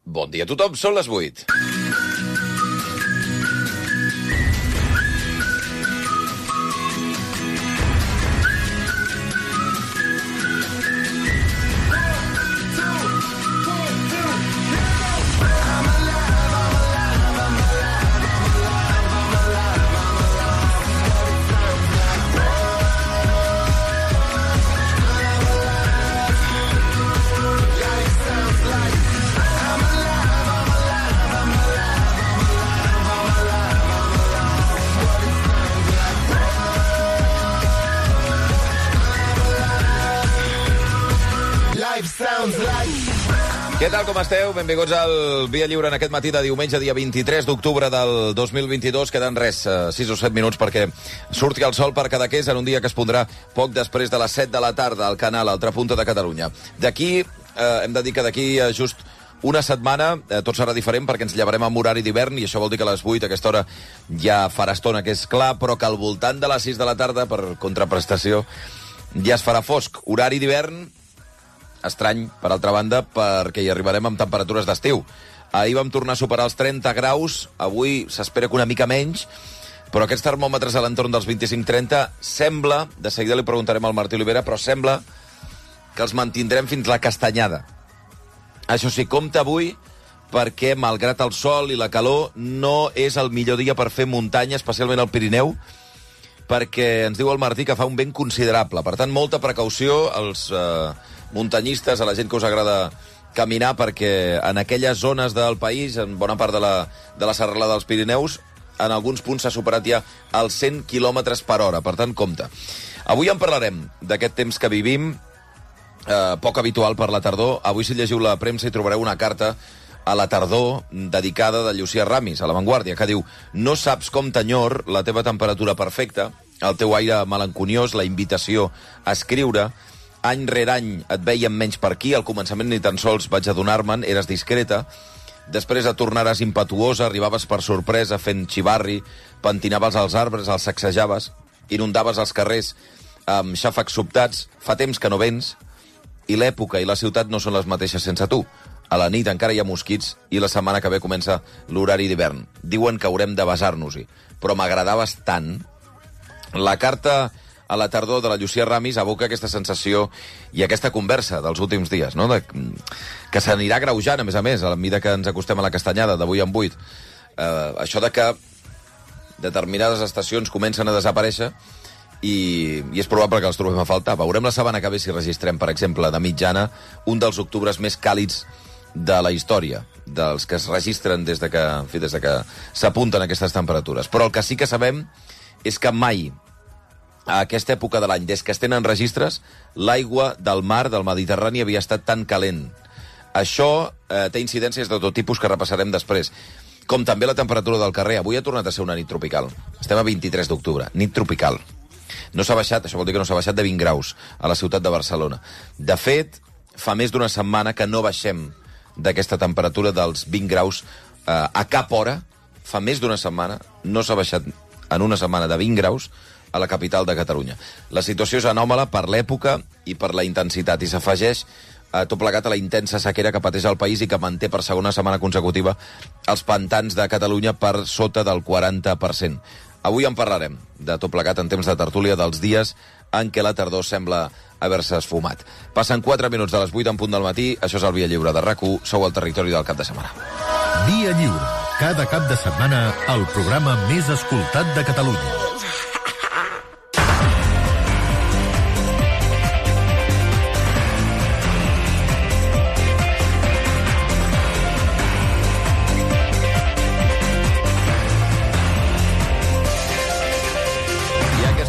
Bon dia a tothom, són les 8. Què tal, com esteu? Benvinguts al Via Lliure en aquest matí de diumenge, dia 23 d'octubre del 2022. Queden 6 o 7 minuts perquè surti el sol per Cadaqués en un dia que es pondrà poc després de les 7 de la tarda al canal Altra Punta de Catalunya. Hem de dir que d'aquí just una setmana tot serà diferent perquè ens llevarem amb horari d'hivern i això vol dir que a les 8 a aquesta hora ja farà estona que és clar, però que al voltant de les 6 de la tarda, per contraprestació, ja es farà fosc. Horari d'hivern estrany, per altra banda, perquè hi arribarem amb temperatures d'estiu. Ahir vam tornar a superar els 30 graus, avui s'espera que una mica menys, però aquests termòmetres a l'entorn dels 25-30 sembla, de seguida li preguntarem al Martí Olivera, però sembla que els mantindrem fins la castanyada. Això sí, compta avui, perquè malgrat el sol i la calor no és el millor dia per fer muntanya, especialment al Pirineu, perquè ens diu el Martí que fa un vent considerable. Per tant, molta precaució als muntanyistes, a la gent que us agrada caminar, perquè en aquelles zones del país, en bona part de la serralada dels Pirineus, en alguns punts s'ha superat ja els 100 km per hora. Per tant, compte. Avui en parlarem d'aquest temps que vivim, poc habitual per la tardor. Avui, si llegiu la premsa, hi trobareu una carta a la tardor dedicada de Llucia Ramis, a La Vanguardia, que diu: no saps com t'enyor la teva temperatura perfecta, el teu aire melanconiós, la invitació a escriure. Any rere any et veiem menys per aquí, al començament ni tan sols vaig adonar-me'n, eres discreta, després et tornaràs impetuosa, arribaves per sorpresa fent xivarri, pentinaves els arbres, els sacsejaves, inundaves els carrers amb xàfecs sobtats, fa temps que no vens, i l'època i la ciutat no són les mateixes sense tu. A la nit encara hi ha mosquits i la setmana que ve comença l'horari d'hivern. Diuen que haurem de besar-nos-hi, però m'agradaves tant. La carta a la tardor de la Llucia Ramis evoca aquesta sensació i aquesta conversa dels últims dies, no? Que s'anirà greujant, a més, a la mida que ens acostem a la castanyada d'avui en 8. Això de que determinades estacions comencen a desaparèixer i és probable que els trobem a faltar. Veurem la setmana que ve si registrem, per exemple, de mitjana, un dels octubres més càlids de la història, dels que es registren des de que s'apunten aquestes temperatures. Però el que sí que sabem és que mai a aquesta època de l'any, des que es tenen registres, l'aigua del mar, del Mediterrani, havia estat tan calent. Això té incidències de tot tipus que repassarem després. Com també la temperatura del carrer. Avui ha tornat a ser una nit tropical. Estem a 23 d'octubre, nit tropical. No s'ha baixat, això vol dir que no s'ha baixat de 20 graus a la ciutat de Barcelona. De fet, fa més d'una setmana que no baixem d'aquesta temperatura dels 20 graus a cap hora. Fa més d'una setmana, no s'ha baixat en una setmana de 20 graus a la capital de Catalunya. La situació és anòmala per l'època i per la intensitat, i s'afegeix tot plegat a la intensa sequera que pateix el país i que manté per segona setmana consecutiva els pantans de Catalunya per sota del 40%. Avui en parlarem de tot plegat en temps de tertúlia dels dies en què la tardor sembla haver-se esfumat. Passen 4 minuts de les 8 en punt del matí, això és el Via Lliure de RAC1, sou al territori del cap de setmana. Via Lliure, cada cap de setmana, el programa més escoltat de Catalunya.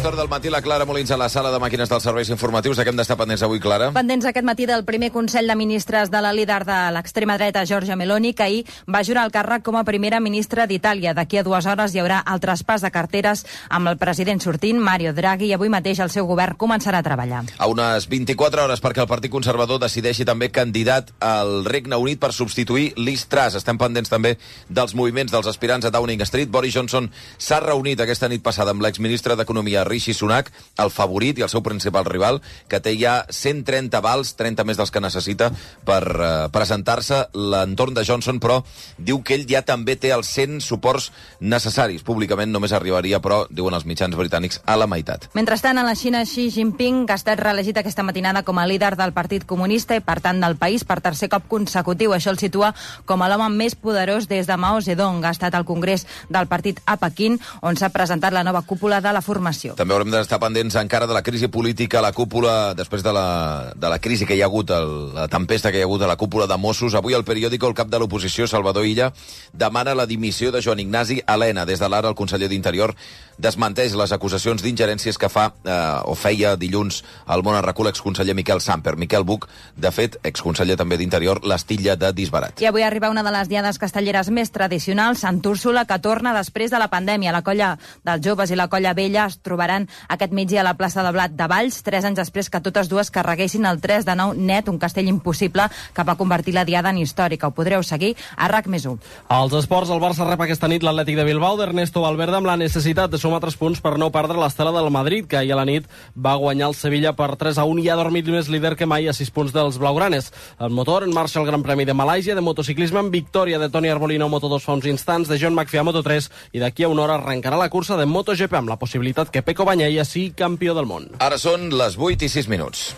Del matí, la Clara Molins a la sala de màquines dels serveis informatius. De què hem d'estar pendents avui, Clara? Pendents aquest matí del primer Consell de Ministres de la líder de l'extrema dreta, Giorgia Meloni, que ahir va jurar el càrrec com a primera ministra d'Itàlia. D'aquí a 2 hores hi haurà el traspàs de carteres amb el president sortint, Mario Draghi, i avui mateix el seu govern començarà a treballar. A unes 24 hores perquè el Partit Conservador decideixi també candidat al Regne Unit per substituir Liz Truss. Estem pendents també dels moviments dels aspirants a Downing Street. Boris Johnson s'ha reunit aquesta nit passada amb l'exministre d'Economia, Rishi Sunak, Sunak, el favorit i el seu principal rival, que té ja 130 vals, 30 més dels que necessita per presentar-se. L'entorn de Johnson, però, diu que ell ja també té els 100 suports necessaris. Públicament només arribaria, però, diuen els mitjans britànics, a la meitat. Mentrestant, a la Xina, Xi Jinping ha estat reelegit aquesta matinada com a líder del Partit Comunista i, per tant, del país per tercer cop consecutiu. Això el situa com a l'home més poderós des de Mao Zedong. Ha estat al Congrés del partit a Pequín, on s'ha presentat la nova cúpula de la formació. També haurem d'estar pendents encara de la crisi política a la cúpula, després de la crisi que hi ha hagut, la tempesta que hi ha hagut a la cúpula de Mossos. Avui al periòdico el cap de l'oposició, Salvador Illa, demana la dimissió de Joan Ignasi Elena. Des de l'ara, el conseller d'Interior desmenteix les acusacions d'ingerències que feia dilluns al Món Arracú l'exconseller Miquel Samper. Miquel Buch, de fet, exconseller també d'Interior, l'estilla de disbarat. I avui arriba una de les diades castelleres més tradicionals, Sant Úrsula, que torna després de la pandèmia. La colla dels joves i la colla vella es trobaran aquest migdia a la plaça de Blat de Valls, 3 anys després que totes dues carreguessin el 3 de 9 net, un castell impossible que va convertir la diada en històrica. Ho podreu seguir a RAC+1. Als esports, el Barça rep aquesta nit l'Atlètic de Bilbao d'Ernesto Valverde amb la necessitat de sumar 3 punts per no perdre l'estela del Madrid, que ahir a la nit va guanyar el Sevilla per 3-1 i ha dormit més líder que mai a 6 punts dels blaugranes. El motor en marxa el Gran Premi de Malàisia de motociclisme amb victòria de Toni Arbolino a Moto2 fa uns instants, de John McPhee a Moto3, i d'aquí a una hora arrencarà la cursa de MotoGP amb la possibilitat que Pecco Bagnaia sigui campió del món. Ara són les 8:06.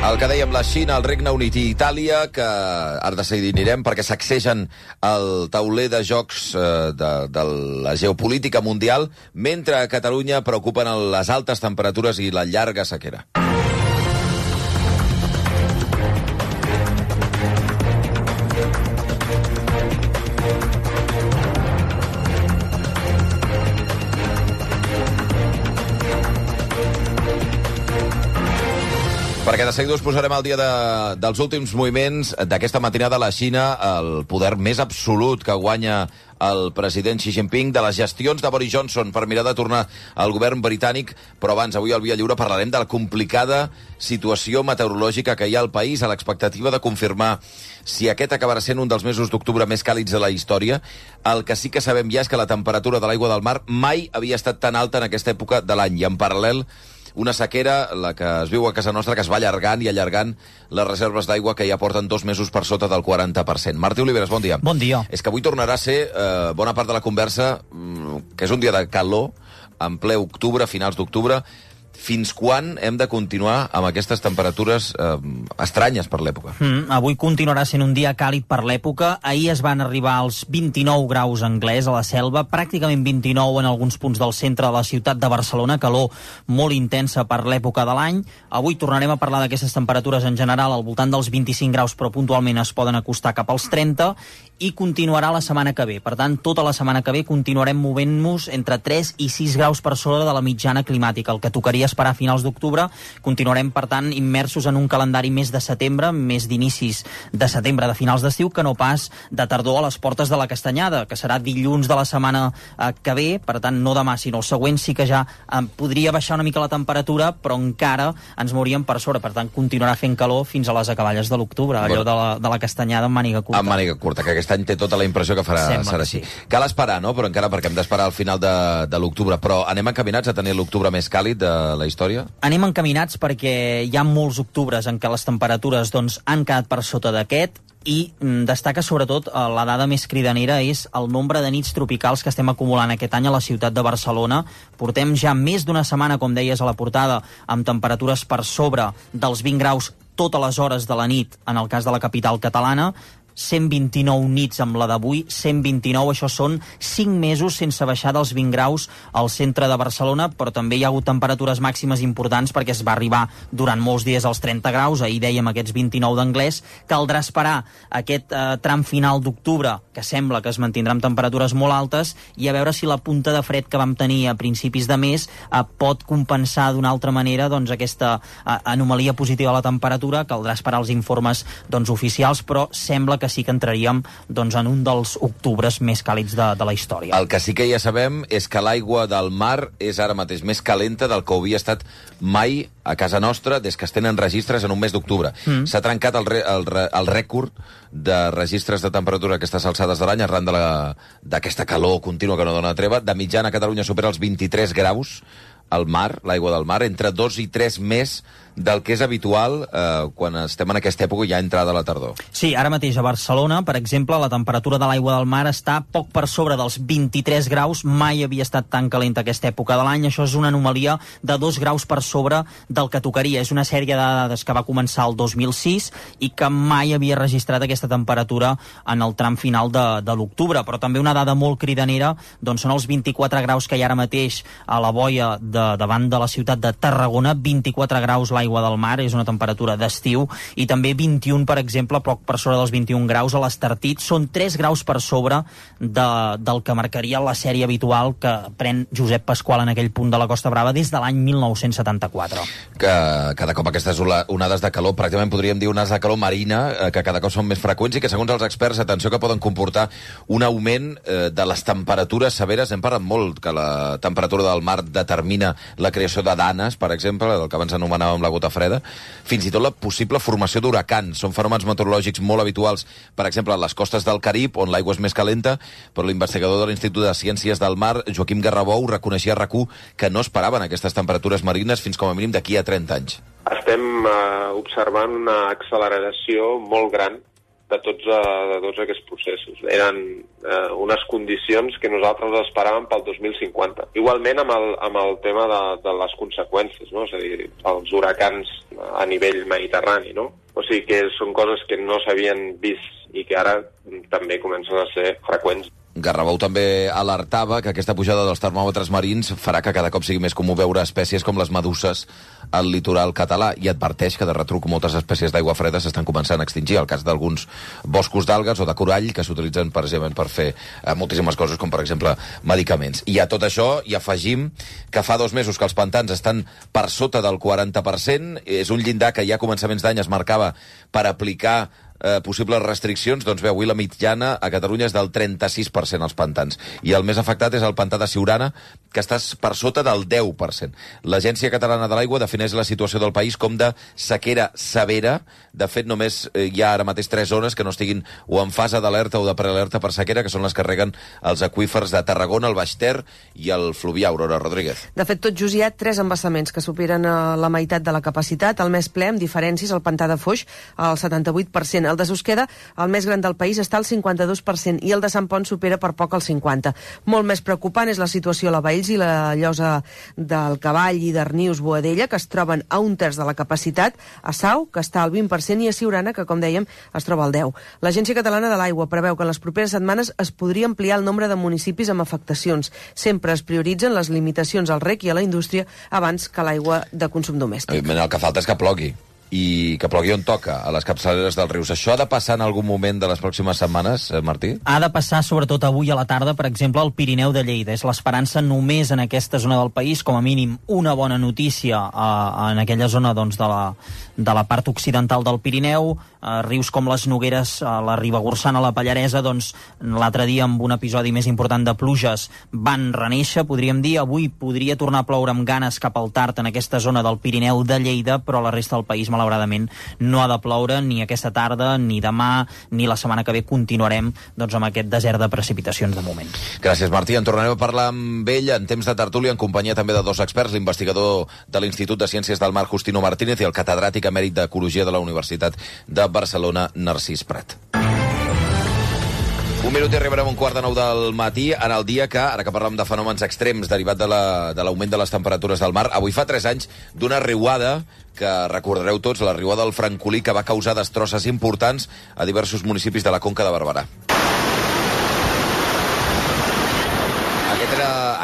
El que dèiem, la Xina, el Regne Unit i Itàlia, que ara de seguida anirem perquè sacsegen el tauler de jocs de la geopolítica mundial, mentre a Catalunya preocupen les altes temperatures i la llarga sequera. Perquè de seguida us posarem al dia dels últims moviments d'aquesta matinada a la Xina, el poder més absolut que guanya el president Xi Jinping, de les gestions de Boris Johnson per mirar de tornar al govern britànic. Però abans, avui al Via Lliure parlarem de la complicada situació meteorològica que hi ha al país, a l'expectativa de confirmar si aquest acabarà sent un dels mesos d'octubre més càlids de la història. El que sí que sabem ja és que la temperatura de l'aigua del mar mai havia estat tan alta en aquesta època de l'any, i en paral·lel una sequera, la que es viu a casa nostra, que es va allargant i allargant les reserves d'aigua, que ja porten 2 mesos per sota del 40%. Martí Oliveres, bon dia. Bon dia. És que avui tornarà a ser bona part de la conversa, que és un dia de calor, en ple octubre, finals d'octubre. Fins quan hem de continuar amb aquestes temperatures estranyes per l'època? Avui continuarà sent un dia càlid per l'època. Ahir es van arribar als 29 graus Anglès a la Selva, pràcticament 29 en alguns punts del centre de la ciutat de Barcelona, calor molt intensa per l'època de l'any. Avui tornarem a parlar d'aquestes temperatures en general al voltant dels 25 graus, però puntualment es poden acostar cap als 30, i continuarà la setmana que ve. Per tant, tota la setmana que ve continuarem movent-nos entre 3 i 6 graus per sobre de la mitjana climàtica, el que tocaria esperar a finals d'octubre. Continuarem, per tant, immersos en un calendari més de setembre, més d'inicis de setembre, de finals d'estiu, que no pas de tardor a les portes de la Castanyada, que serà dilluns de la setmana que ve. Per tant, no demà, sinó el següent sí que ja podria baixar una mica la temperatura, però encara ens mouríem per sobre. Per tant, continuarà fent calor fins a les acaballes de l'octubre, allò de la Castanyada amb màniga curta. Amb màniga curta, que aquest any té tota la impressió que serà així. Sí. Cal esperar, no? Però encara, perquè hem d'esperar al final de l'octubre. Però anem encaminats a tenir l'octubre més càlid de la història? Anem encaminats perquè hi ha molts octubres en què les temperatures han quedat per sota d'aquest, i destaca sobretot la dada més cridanera és el nombre de nits tropicals que estem acumulant aquest any a la ciutat de Barcelona. Portem ja més d'una setmana, com deies a la portada, amb temperatures per sobre dels 20 graus totes les hores de la nit, en el cas de la capital catalana. 129 nits amb la d'avui, 129, això són 5 mesos sense baixar dels 20 graus al centre de Barcelona, però també hi ha hagut temperatures màximes importants perquè es va arribar durant molts dies als 30 graus, ahir dèiem aquests 29 d'Anglès. Caldrà esperar aquest tram final d'octubre, que sembla que es mantindrà amb temperatures molt altes, i a veure si la punta de fred que vam tenir a principis de mes pot compensar d'una altra manera aquesta anomalia positiva a la temperatura. Caldrà esperar els informes oficials, però sembla que que sí que entraríem en un dels octubres més càlids de la història. El que sí que ja sabem és que l'aigua del mar és ara mateix més calenta del que ho havia estat mai a casa nostra des que es tenen registres en un mes d'octubre. S'ha trencat el rècord de registres de temperatura a aquestes alçades de l'any arran d'aquesta calor contínua que no dona treva. De mitjana, Catalunya supera els 23 graus al mar, l'aigua del mar, entre 2 i 3 més del que és habitual quan estem en aquesta època ja entrada la tardor. Sí, ara mateix a Barcelona, per exemple, la temperatura de l'aigua del mar està poc per sobre dels 23 graus. Mai havia estat tan calenta aquesta època de l'any. Això és una anomalia de 2 graus per sobre del que tocaria. És una sèrie de dades que va començar el 2006 i que mai havia registrat aquesta temperatura en el tram final de l'octubre. Però també una dada molt cridanera són els 24 graus que hi ha ara mateix a la boia davant de la ciutat de Tarragona. 24 graus l'aigua del mar, és una temperatura d'estiu, i també 21, per exemple, poc per sobre dels 21 graus a l'Estartit. Són 3 graus per sobre del que marcaria la sèrie habitual que pren Josep Pasqual en aquell punt de la Costa Brava des de l'any 1974. Que cada cop aquestes onades de calor, pràcticament podríem dir onades de calor marina, que cada cop són més freqüents i que, segons els experts, atenció, que poden comportar un augment de les temperatures severes. Hem parlat molt que la temperatura del mar determina la creació de danes, per exemple, el que abans anomenàvem la gota freda, fins i tot la possible formació d'huracans. Són fenòmens meteorològics molt habituals, per exemple, a les costes del Carib, on l'aigua és més calenta, però l'investigador de l'Institut de Ciències del Mar, Joaquim Garrabou, reconeixia a RAC1 que no esperaven aquestes temperatures marines fins com a mínim d'aquí a 30 anys. Estem observant una acceleració molt gran de tots aquests processos. Eren unes condicions que nosaltres esperàvem pel 2050. Igualment amb el tema de les conseqüències, no? És a dir, els huracans a nivell mediterrani, no? O sigui que són coses que no s'havien vist i que ara també comencen a ser freqüents. Garrabou també alertava que aquesta pujada dels termòmetres marins farà que cada cop sigui més comú veure espècies com les meduses al litoral català, i adverteix que de retruc moltes espècies d'aigua freda s'estan començant a extingir. El cas d'alguns boscos d'algues o de corall que s'utilitzen precisament per fer moltíssimes coses, com per exemple medicaments. I a tot això hi afegim que fa 2 mesos que els pantans estan per sota del 40%, és un llindar que ja a començaments d'any es marcava per aplicar possibles restriccions. Doncs bé, avui la mitjana a Catalunya és del 36% als pantans, i el més afectat és el pantà de Siurana, que està per sota del 10%. L'Agència Catalana de l'Aigua defineix la situació del país com de sequera severa. De fet, només hi ha ara mateix 3 zones que no estiguin o en fase d'alerta o de prealerta per sequera, que són les que reguen els aqüífers de Tarragona, el Baix Ter i el Fluvià. Aurora Rodríguez. De fet, tot just hi ha 3 embassaments que superen la meitat de la capacitat. El més ple, amb diferències, el pantà de Foix, al 78%. El de Susqueda, el més gran del país, està al 52%, i el de Sant Pont supera per poc el 50%. Molt més preocupant és la situació a la Baells i la Llosa del Cavall i d'Arnius Boadella, que es troben a 1/3 de la capacitat, a Sau, que està al 20%, i a Siurana, que, com dèiem, es troba al 10%. L'Agència Catalana de l'Aigua preveu que en les properes setmanes es podria ampliar el nombre de municipis amb afectacions. Sempre es prioritzen les limitacions al rec i a la indústria abans que l'aigua de consum domèstic. El que falta és que plogui, i que plogui on toca, a les capçaleres dels rius. Això ha de passar en algun moment de les pròximes setmanes, Martí? Ha de passar sobretot avui a la tarda, per exemple, al Pirineu de Lleida. És l'esperança només en aquesta zona del país, com a mínim una bona notícia en aquella zona de la part occidental del Pirineu. Rius com les Nogueres, la Ribagorçana, la Pallaresa, l'altre dia amb un episodi més important de pluges van reneixer, podríem dir. Avui podria tornar a ploure amb ganes cap al tard en aquesta zona del Pirineu de Lleida, però la resta del país, malauradament, no ha de ploure ni aquesta tarda, ni demà, ni la setmana que ve. Continuarem amb aquest desert de precipitacions de moment. Gràcies, Martí. En tornarem a parlar amb ell en temps de tertúlia, en companyia també de 2 experts, l'investigador de l'Institut de Ciències del Mar, Justino Martínez, i el catedràtic emèrit d'Ecologia de la Universitat de Barcelona, Narcís Prat. Un minut i arribarem a 8:45 del matí, en el dia que, ara que parlem de fenòmens extrems derivat de l'augment de les temperatures del mar, avui fa 3 anys d'una riuada que recordareu tots, la riuada del Francolí, que va causar destrosses importants a diversos municipis de la Conca de Barberà.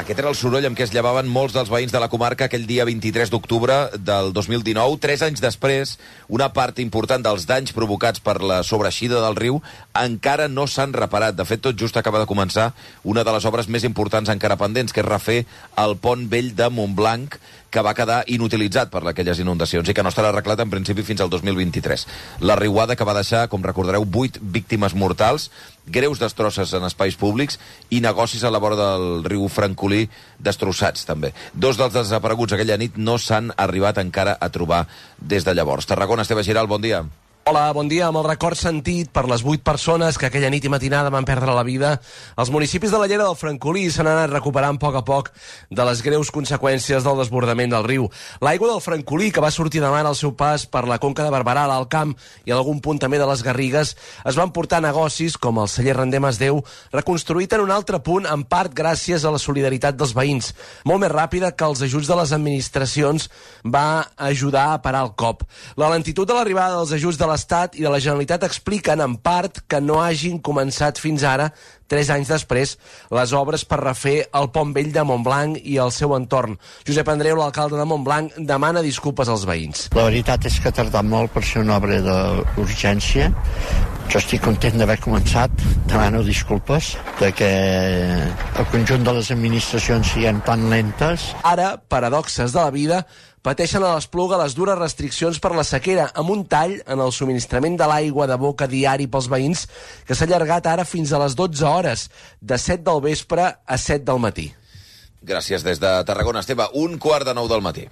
Aquest era el soroll amb què es llevaven molts dels veïns de la comarca aquell dia 23 d'octubre del 2019. 3 anys després, una part important dels danys provocats per la sobreeixida del riu encara no s'han reparat. De fet, tot just acaba de començar una de les obres més importants encara pendents, que és refer el pont vell de Montblanc, que va quedar inutilitzat per aquelles inundacions i que no estarà arreglat en principi fins al 2023. La riuada que va deixar, com recordareu, 8 víctimes mortals, greus destrosses en espais públics i negocis a la vora del riu Francolí destrossats, també. 2 dels desapareguts aquella nit no s'han arribat encara a trobar des de llavors. Tarragona, Esteve Giral, bon dia. Hola, bon dia. Amb el record sentit per les 8 persones que aquella nit i matinada van perdre la vida, els municipis de la Llera del Francolí s'han anat recuperant a poc de les greus conseqüències del desbordament del riu. L'aigua del Francolí, que va sortir demà al seu pas per la Conca de Barberà, l'Alt Camp i en algun punt també de les Garrigues, es van portar negocis com el celler Render Masdeu, reconstruït en un altre punt, en part gràcies a la solidaritat dels veïns. Molt més ràpida que els ajuts de les administracions va ajudar a parar el cop. La lentitud de l'arribada dels ajuts de l'Estat i de la Generalitat expliquen, en part, que no hagin començat fins ara, 3 anys després, les obres per refer el Pont Vell de Montblanc i el seu entorn. Josep Andreu, l'alcalde de Montblanc, demana disculpes als veïns. La veritat és que ha tardat molt per ser una obra d'urgència. Jo estic content d'haver començat, demano disculpes de que el conjunt de les administracions siguin tan lentes. Ara, paradoxes de la vida, pateixen a l'Espluga les dures restriccions per la sequera, amb un tall en el subministrament de l'aigua de boca diari pels veïns, que s'ha allargat ara fins a les 12 hores, de 7 del vespre a 7 del matí. Gràcies des de Tarragona, Esteve. 8:45 del matí.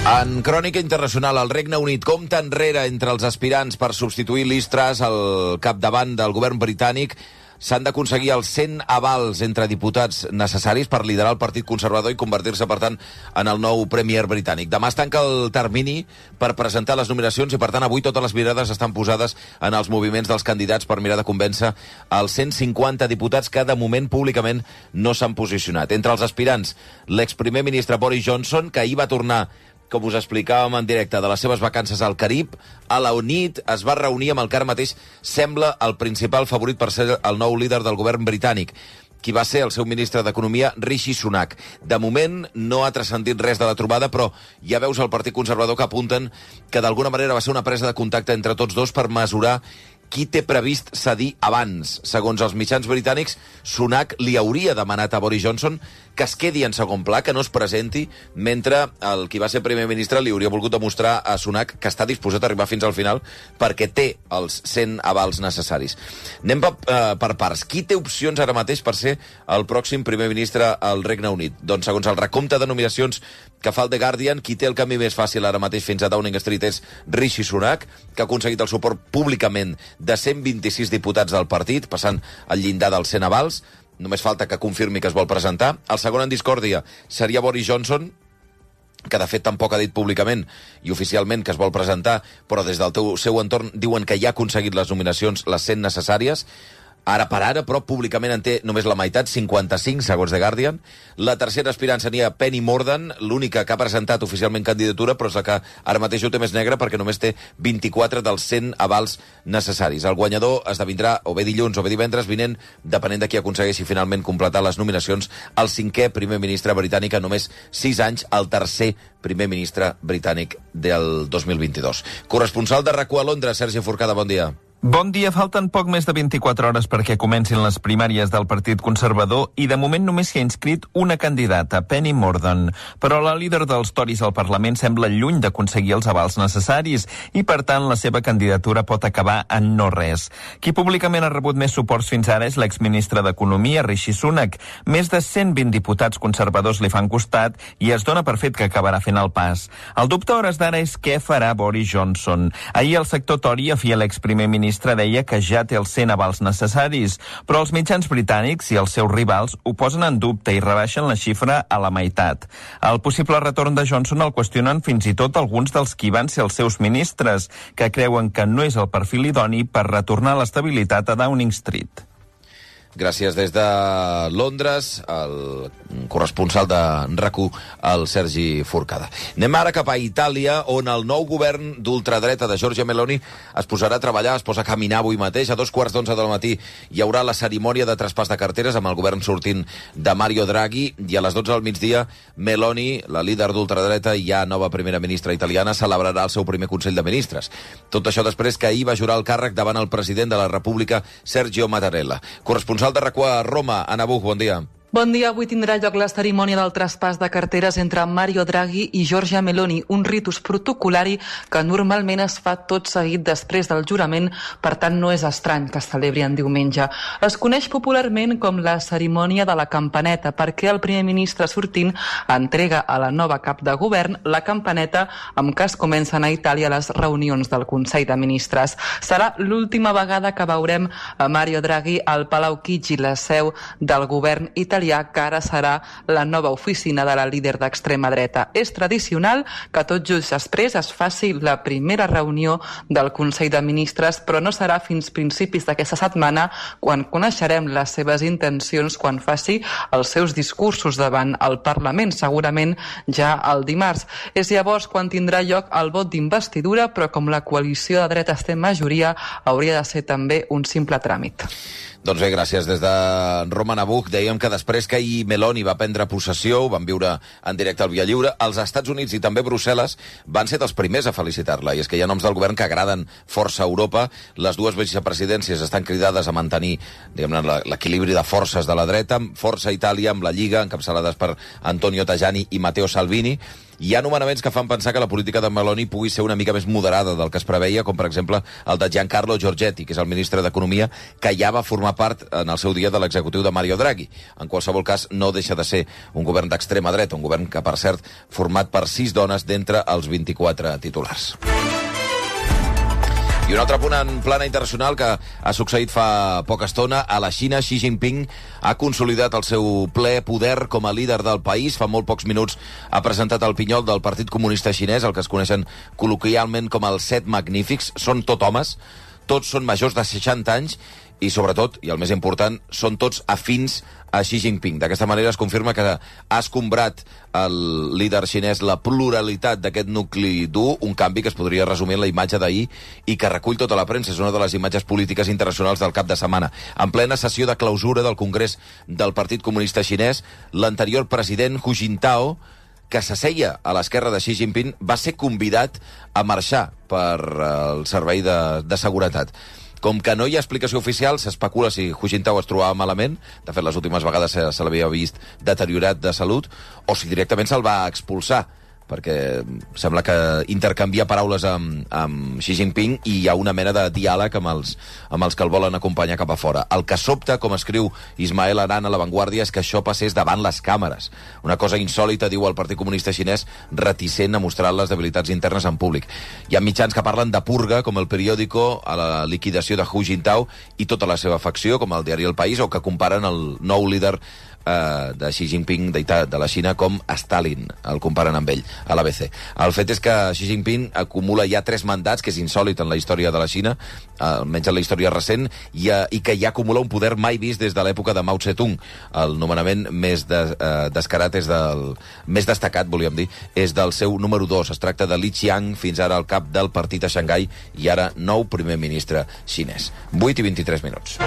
En crònica internacional, el Regne Unit compta enrere entre els aspirants per substituir Liz Truss al capdavant del govern britànic. S'han d'aconseguir els 100 avals entre diputats necessaris per liderar el Partit Conservador i convertir-se, per tant, en el nou premier britànic. Demà es tanca el termini per presentar les nominacions i, per tant, avui totes les mirades estan posades en els moviments dels candidats per mirar de convèncer els 150 diputats que, de moment, públicament no s'han posicionat. Entre els aspirants, l'exprimer ministre Boris Johnson, que ahir va tornar, com us explicàvem en directe, de les seves vacances al Carib, a la nit es va reunir amb el que ara mateix sembla el principal favorit per ser el nou líder del govern britànic, qui va ser el seu ministre d'Economia, Rishi Sunak. De moment no ha transcendit res de la trobada, però ja veus el Partit Conservador que apunten que d'alguna manera va ser una presa de contacte entre tots dos per mesurar qui té previst cedir abans. Segons els mitjans britànics, Sunak li hauria demanat a Boris Johnson que es quedi en segon pla, que no es presenti, mentre el qui va ser primer ministre li hauria volgut demostrar a Sunak que està disposat a arribar fins al final perquè té els 100 avals necessaris. Anem per parts. Qui té opcions ara mateix per ser el pròxim primer ministre al Regne Unit? Doncs, segons el recompte de nominacions que fa el The Guardian, qui té el camí més fàcil ara mateix fins a Downing Street és Rishi Sunak, que ha aconseguit el suport públicament de 126 diputats del partit, passant el llindar dels 100 avals. Només falta que confirmi que es vol presentar. El segon en discòrdia seria Boris Johnson, que de fet tampoc ha dit públicament i oficialment que es vol presentar, però des del seu entorn diuen que ja ha aconseguit les nominacions, les 100 necessàries. Ara per ara, però públicament en té només la meitat, 55, segons The Guardian. La tercera aspirant seria Penny Mordaunt, l'única que ha presentat oficialment candidatura, però és la que ara mateix ho té més negre perquè només té 24 dels 100 avals necessaris. El guanyador esdevindrà o bé dilluns o bé divendres vinent, depenent de qui aconsegueixi finalment completar les nominacions, el 5è primer ministre britànic en només 6 anys, el tercer primer ministre britànic del 2022. Corresponsal de RAC1 a Londres, Sergi Forcada, bon dia. Bon dia, falten poc més de 24 hores perquè comencin les primàries del Partit Conservador i de moment només s'hi ha inscrit una candidata, Penny Mordaunt. Però la líder dels Tories al Parlament sembla lluny d'aconseguir els avals necessaris i, per tant, la seva candidatura pot acabar en no res. Qui públicament ha rebut més suports fins ara és l'exministre d'Economia, Rishi Sunak. Més de 120 diputats conservadors li fan costat i es dona per fet que acabarà fent el pas. El dubte a hores d'ara és què farà Boris Johnson. Ahir el sector Tory, afí a l'exprimer ministre, deia que ja té els 100 avals necessaris, però els mitjans britànics i els seus rivals ho posen en dubte i rebaixen la xifra a la meitat. El possible retorn de Johnson el qüestionen fins i tot alguns dels qui van ser els seus ministres, que creuen que no és el perfil idoni per retornar l'estabilitat a Downing Street. Gràcies des de Londres, el corresponsal de RAC1, el Sergi Forcada. Anem ara cap a Itàlia, on el nou govern d'ultradreta de Giorgia Meloni es posarà a treballar, es posa a caminar avui mateix. A 11:15 del matí hi haurà la cerimònia de traspàs de carteres amb el govern sortint de Mario Draghi, i a les 12 del migdia Meloni, la líder d'ultradreta i ja nova primera ministra italiana, celebrarà el seu primer Consell de Ministres. Tot això després que ahir va jurar el càrrec davant el president de la República, Sergio Mattarella. Corresponsal de RAC1 a Roma, Anna Buch, bon dia. Bon dia. Avui tindrà lloc la cerimònia del traspàs de carteres entre Mario Draghi i Giorgia Meloni, un ritus protocolari que normalment es fa tot seguit després del jurament, per tant no és estrany que es celebri en diumenge. Es coneix popularment com la cerimònia de la campaneta, perquè el primer ministre sortint entrega a la nova cap de govern la campaneta amb què es comencen a Itàlia les reunions del Consell de Ministres. Serà l'última vegada que veurem a Mario Draghi al Palau Chigi, la seu del govern italià, que ara serà la nova oficina de la líder d'extrema dreta. És tradicional que tot just després es faci la primera reunió del Consell de Ministres, però no serà fins principis d'aquesta setmana quan coneixerem les seves intencions, quan faci els seus discursos davant el Parlament, segurament ja el dimarts. És llavors quan tindrà lloc el vot d'investidura, però com la coalició de dretes té majoria, hauria de ser també un simple tràmit. Doncs bé, gràcies. Des de Roma, Anna Buch, dèiem que després que ahir Meloni va prendre possessió, ho van viure en directe al Via Lliure, els Estats Units i també Brussel·les van ser dels primers a felicitar-la. I és que hi ha noms del govern que agraden força a Europa. Les dues vicepresidències estan cridades a mantenir, diguem-ne, l'equilibri de forces de la dreta, força Itàlia amb la Lliga, encapçalades per Antonio Tajani i Matteo Salvini. Hi ha nomenaments que fan pensar que la política de Meloni pugui ser una mica més moderada del que es preveia, com per exemple el de Giancarlo Giorgetti, que és el ministre d'Economia, que ja va formar part en el seu dia de l'executiu de Mario Draghi. En qualsevol cas, no deixa de ser un govern d'extrema dreta, un govern que, per cert, format per 6 dones d'entre els 24 titulars. I un altre punt en plana internacional que ha succeït fa poca estona. A la Xina, Xi Jinping ha consolidat el seu ple poder com a líder del país. Fa molt pocs minuts ha presentat el pinyol del Partit Comunista Xinès, el que es coneixen col·loquialment com els 7 magnífics. Són tot homes, tots són majors de 60 anys i, sobretot, i el més important, són tots afins a Xi Jinping. D'aquesta manera es confirma que ha escombrat el líder xinès la pluralitat d'aquest nucli dur, un canvi que es podria resumir en la imatge d'ahir i que recull tota la premsa. És una de les imatges polítiques internacionals del cap de setmana. En plena sessió de clausura del Congrés del Partit Comunista Xinès, l'anterior president Hu Jintao, que s'asseia a l'esquerra de Xi Jinping, va ser convidat a marxar per el servei de seguretat. Com que no hi ha explicació oficial, s'especula si Hu Jintao es trobava malament, de fet les últimes vegades se l'havia vist deteriorat de salut, o si directament se'l va expulsar, perquè sembla que intercanvia paraules amb Xi Jinping i hi ha una mena de diàleg amb els que el volen acompanyar cap a fora. El que sobta, com escriu Ismael Aran a La Vanguardia, és que això passés davant les càmeres. Una cosa insòlita, diu el Partit Comunista Xinès, reticent a mostrar les debilitats internes en públic. Hi ha mitjans que parlen de purga, com el Periódico, a la liquidació de Hu Jintao i tota la seva facció, com el diari El País, o que comparen el nou líder de Xi Jinping de la Xina com Stalin, el comparen amb ell a l'ABC. El fet és que Xi Jinping acumula ja 3 mandats, que és insòlit en la història de la Xina, almenys en la història recent, i que ja acumula un poder mai vist des de l'època de Mao Tse-tung. El nomenament més descarat més destacat, volíem dir, és del seu número 2. Es tracta de Li Qiang, fins ara el cap del partit a Xangai i ara nou primer ministre xinès. 8:23 minuts.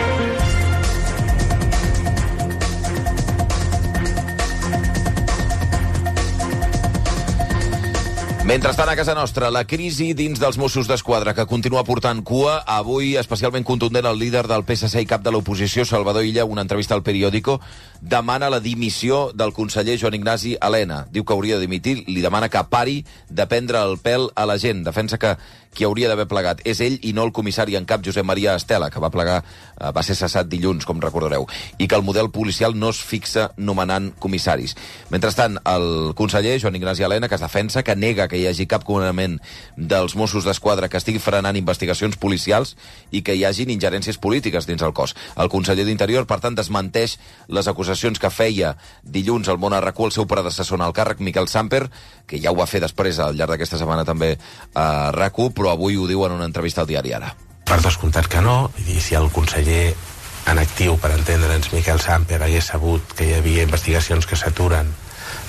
Mentrestant, a casa nostra, la crisi dins dels Mossos d'Esquadra, que continua portant cua. Avui, especialment contundent, el líder del PSC i cap de l'oposició, Salvador Illa, una entrevista al Periódico, demana la dimissió del conseller Joan Ignasi Elena. Diu que hauria de dimitir, li demana que pari de prendre el pèl a la gent. Defensa que qui hauria d'haver plegat és ell i no el comissari en cap Josep Maria Estela, que va plegar, va ser cessat dilluns, com recordareu, i que el model policial no es fixa nomenant comissaris. Mentrestant, el conseller Joan Ignasi Elena, que es defensa, que nega que hi hagi cap comandament dels Mossos d'Esquadra que estigui frenant investigacions policials i que hi hagin ingerències polítiques dins el cos. El conseller d'Interior, per tant, desmenteix les acusacions que feia dilluns al Món a RAC1 el seu predecessor en el càrrec, Miquel Samper, que ja ho va fer després al llarg d'aquesta setmana també a RAC1, però avui ho diu en una entrevista al diari Ara. Per descomptat que no, i si el conseller en actiu, per entendre'ns, Miquel Samper hagués sabut que hi havia investigacions que s'aturen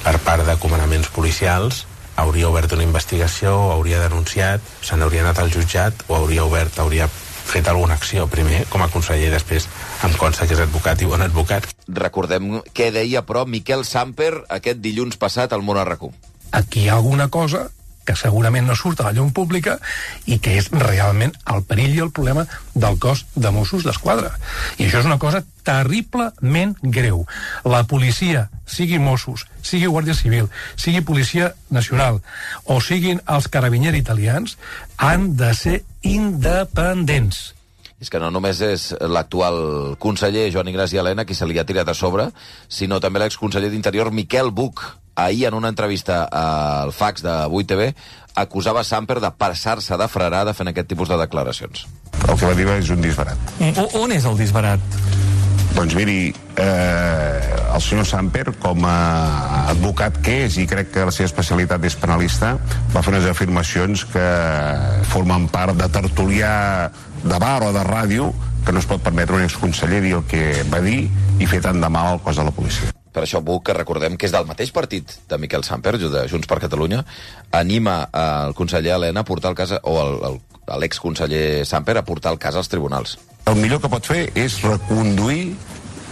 per part de comandaments policials, hauria obert una investigació, hauria denunciat, se n'hauria anat al jutjat o hauria fet alguna acció, primer com a conseller, després em consta que és advocat i bon advocat. Recordem què deia, però, Miquel Samper aquest dilluns passat al Món RQ. Aquí hi ha alguna cosa que segurament no surt a la llum pública i que és realment el perill i el problema del cos de Mossos d'Esquadra. I això és una cosa terriblement greu. La policia, sigui Mossos, sigui Guàrdia Civil, sigui Policia Nacional o siguin els carabinieri italians, han de ser independents. És que no només és l'actual conseller Joan Ignasi Elena qui se li ha tirat a sobre, sinó també l'exconseller d'Interior Miquel Buch. Ahir, en una entrevista al fax de 8TV, acusava Samper de passar-se de frarada fent aquest tipus de declaracions. El que va dir és un disbarat. On és el disbarat? Doncs miri, el senyor Samper, com a advocat que és, i crec que la seva especialitat és penalista, va fer unes afirmacions que formen part de tertulià de bar o de ràdio, que no es pot permetre un exconseller dir el que va dir i fer tant de mal al cos de la policia. Per això Buch, que recordem que és del mateix partit de Miquel Samper, de Junts per Catalunya, anima el conseller Elena a portar el cas, o l'exconseller Samper a portar el cas als tribunals. El millor que pot fer és reconduir